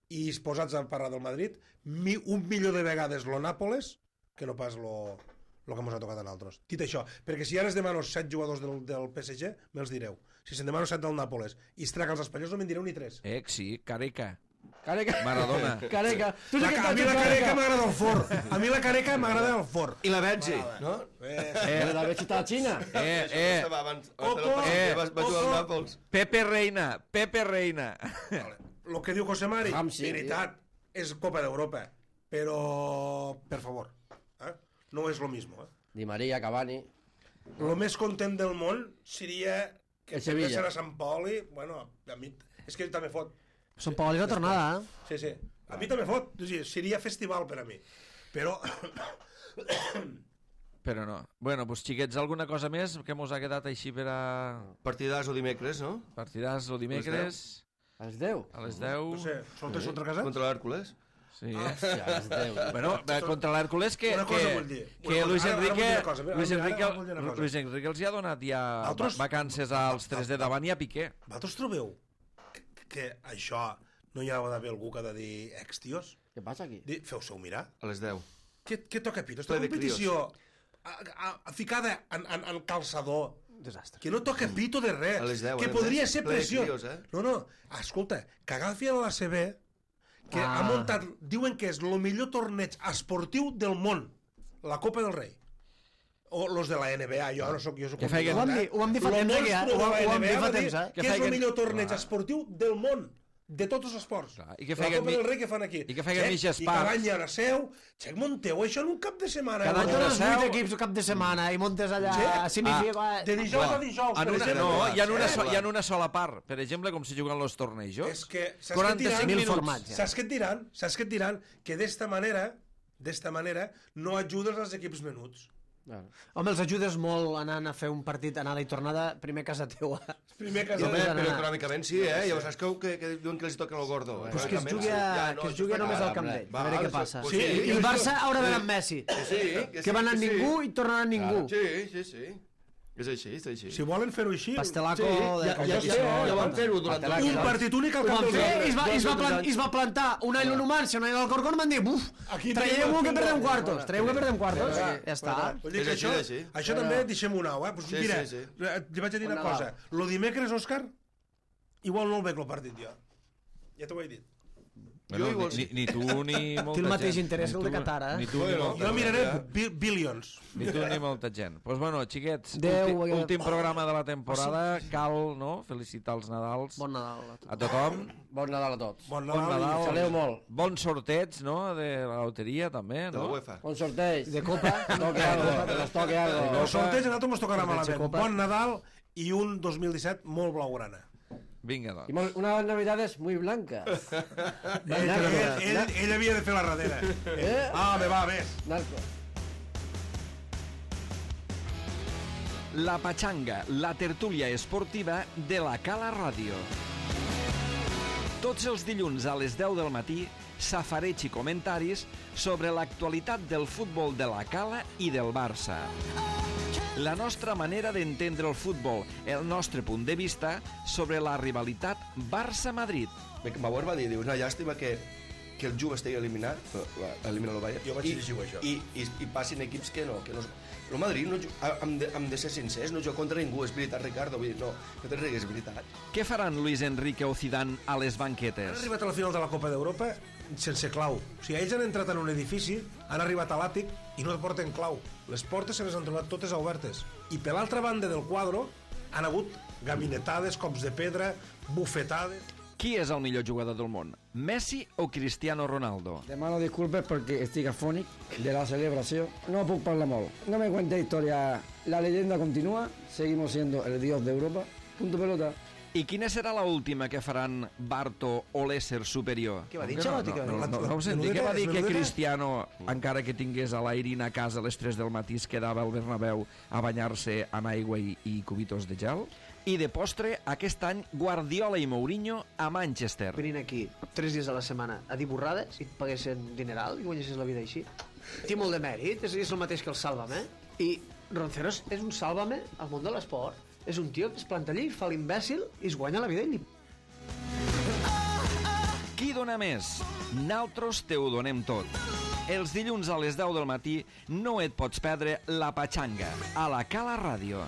I posats a parlar del Madrid, un milió de vegades lo Nàpoles que no pas lo que ens ha tocat a nosaltres. Dit això, perquè si ara es demano 7 jugadors del PSG, me'ls direu. Si se'n demano 7 del Nàpoles i es traga els espanyols, no me'n direu ni 3. Sí, Careca. Careca. Maradona. Careca. Tú sí que A mi la Careca m'agrada el fort. A mi la Careca m'agrada el fort. I la Benji, no? La vez está a China. Estava abans va jugar al Nàpols. Pepe Reina. El que diu José Mari, Ramsey, veritat, és Copa d'Europa, però, per favor, no és lo mismo. Di María, Cavani. Lo més content del món seria que El Sevilla. perdessin a Sant Paoli, bueno, a mi, és que ell també fot. Sant Paoli la tornada, Sí, sí. A mi també fot. O sigui, seria festival per a mi. Però... Però no. Bueno, doncs xiquets, alguna cosa més que mos ha quedat així per a Partidàs o dimecres, no? partidars o dimecres A les 10. a les 10? No sé, soltes contra casa? Contra l'Hèrcules. Sí. Hòstia, a les 10. Bueno, contra l'Hèrcules que Una cosa vull dir. que Una Luis cosa. Ara vull dir Enrique una cosa. Ara vull dir una cosa. Luis Enrique els hi ha donat ja Altres- vacances als 3 de davant i a Piqué. Vosaltres trobeu que això no hi ha d'haver algú que ha de dir ex-tios? ¿Qué pasa aquí? Feu-se-ho mirar. A les 10. Què toca pito? Esta Ple de competició ficada en calçador, Desastre. que no toca pito de res, A les 10, que podria ser ple de pressió. crios, No, escolta, que agafi a l'ACB, que ha muntat, diuen que és el millor torneig esportiu del món, la Copa del Rei. O los de la NBA, jo no soc... Jo soc Que feien- Ho vam dir fa temps, Lo que ja, monstru de la ho vam NBA dir fa va dir temps, que és el millor torneig esportiu del món. de tots els esports. Clar, i que la feien Copa del Rei que fan aquí. i que feien mitges I parts. cada any hi ha una seu. Xec, munteu això en un cap de setmana. Cada any Montes una els seu. 8 equips el cap de setmana i montes allà... De dijous a dijous, per exemple. Hi ha una sola part, per exemple, com si juguen els tornejos. És que, 45 formats, ja. Saps què et diran? Que d'esta manera no ajudes als equips menuts. Home, els ajudes molt anant a fer un partit anada i tornada, primer a casa teua. Primer que Home, Home, però econòmicament sí, eh? Ja saps que diuen que els toca el gordo. Pues que es jugui només al Camp d'ell, a veure què passa. Pues sí, I el Barça haurà d'anar amb Messi. Que va anar ningú i tornarà ningú. Sí. És així. Si volen fer-ho així... Pastelaco de Ja van fer-ho durant Un partit únic al Ho Camp van del fer Rei. i es va plantar un any l'Unumancia, un any l'Alcorcón, van dir, buf, Aquí traieu tenim que el perdem pingo. quartos, Ja està. Vull dir És que així, així. això també deixem-ho anar, Pues Sí, mira, sí. li vaig a dir una cosa. Lo dimecres, Òscar, igual no el veig el partit jo. Ja t'ho he dit. Bueno, ni tu ni molta gent. Té el mateix interès que el de Ni tu- Qatar, Ni eh? tu ni molta Jo miraré gent. billions. Ni tu ni molta gent. Doncs bueno, xiquets, Adéu, últim programa de la temporada. Cal, no?, felicitar els Nadals Bon Nadal a tots. a tothom. Bon Nadal a tots. Bon Bon Nadal. Saleu molt. Bon sorteig, no?, de la loteria, també, De la no? UEFA. Bon sorteig. De Copa. Toque algo, que nos toque algo. El sorteig a nosaltres ens tocarà malament. Copa. Bon Nadal i un 2017 molt blaugrana. Vinga, Y doncs. unas navidades muy blancas. Ell havia de fer la darrera. Me va, més. Narco. La Pachanga, la tertúlia esportiva de la Cala Ràdio. Tots els dilluns a les 10 del matí, safareig i comentaris sobre l'actualitat del futbol de la Cala i del Barça. La nostra manera d'entendre el futbol, el nostre punt de vista sobre la rivalitat Barça-Madrid. Bauer va dir, una llàstima que el Juve estigui eliminat, elimina el Bayern, Jo vaig llegir això. i passin equips que no. El Madrid, hem de ser sincers, no juga contra ningú, és veritat, Ricardo, vull dir, no te rigues, és veritat. Què faran Luis Enrique o Zidane a les Han banquetes? arribat a la final de la Copa d'Europa sense clau. O sigui, ells han entrat en un edifici, han arribat a l'àtic i no porten clau. Les portes se les han trobat totes obertes. I per l'altra banda del quadre han hagut gabinetades, cops de pedra, bufetades... Qui és el millor jugador del món? Messi o Cristiano Ronaldo? Demano disculpes porque estoy afónic de la celebración. No puc parlar molt. No me cuente historia. La leyenda continúa. Seguimos siendo el dios de Europa. Punto pelota. I quina serà la última que faran Barto o l'ésser superior? Què va dir, No, Xalotti? no ho sentit. Què va dir que Cristiano, encara que tingués a l'Airin a casa a les 3 del matí, es quedava al Bernabéu a banyar-se amb aigua i cubitos de gel? I de postre, aquest any, Guardiola i Mourinho a Manchester. Venint aquí 3 dies a la setmana a dir borrades i et paguessin dineral i guanyessis la vida així. Té molt de mèrit, és el mateix que el Sálvame. I Ronceros és un Sálvame al món de l'esport. És un tio que es planta allí, fa l'imbècil i es guanya la vida i li... Qui dona més? Naltros te ho donem tot. Els dilluns a les 10 del matí no et pots perdre La Pachanga, a la Cala Ràdio.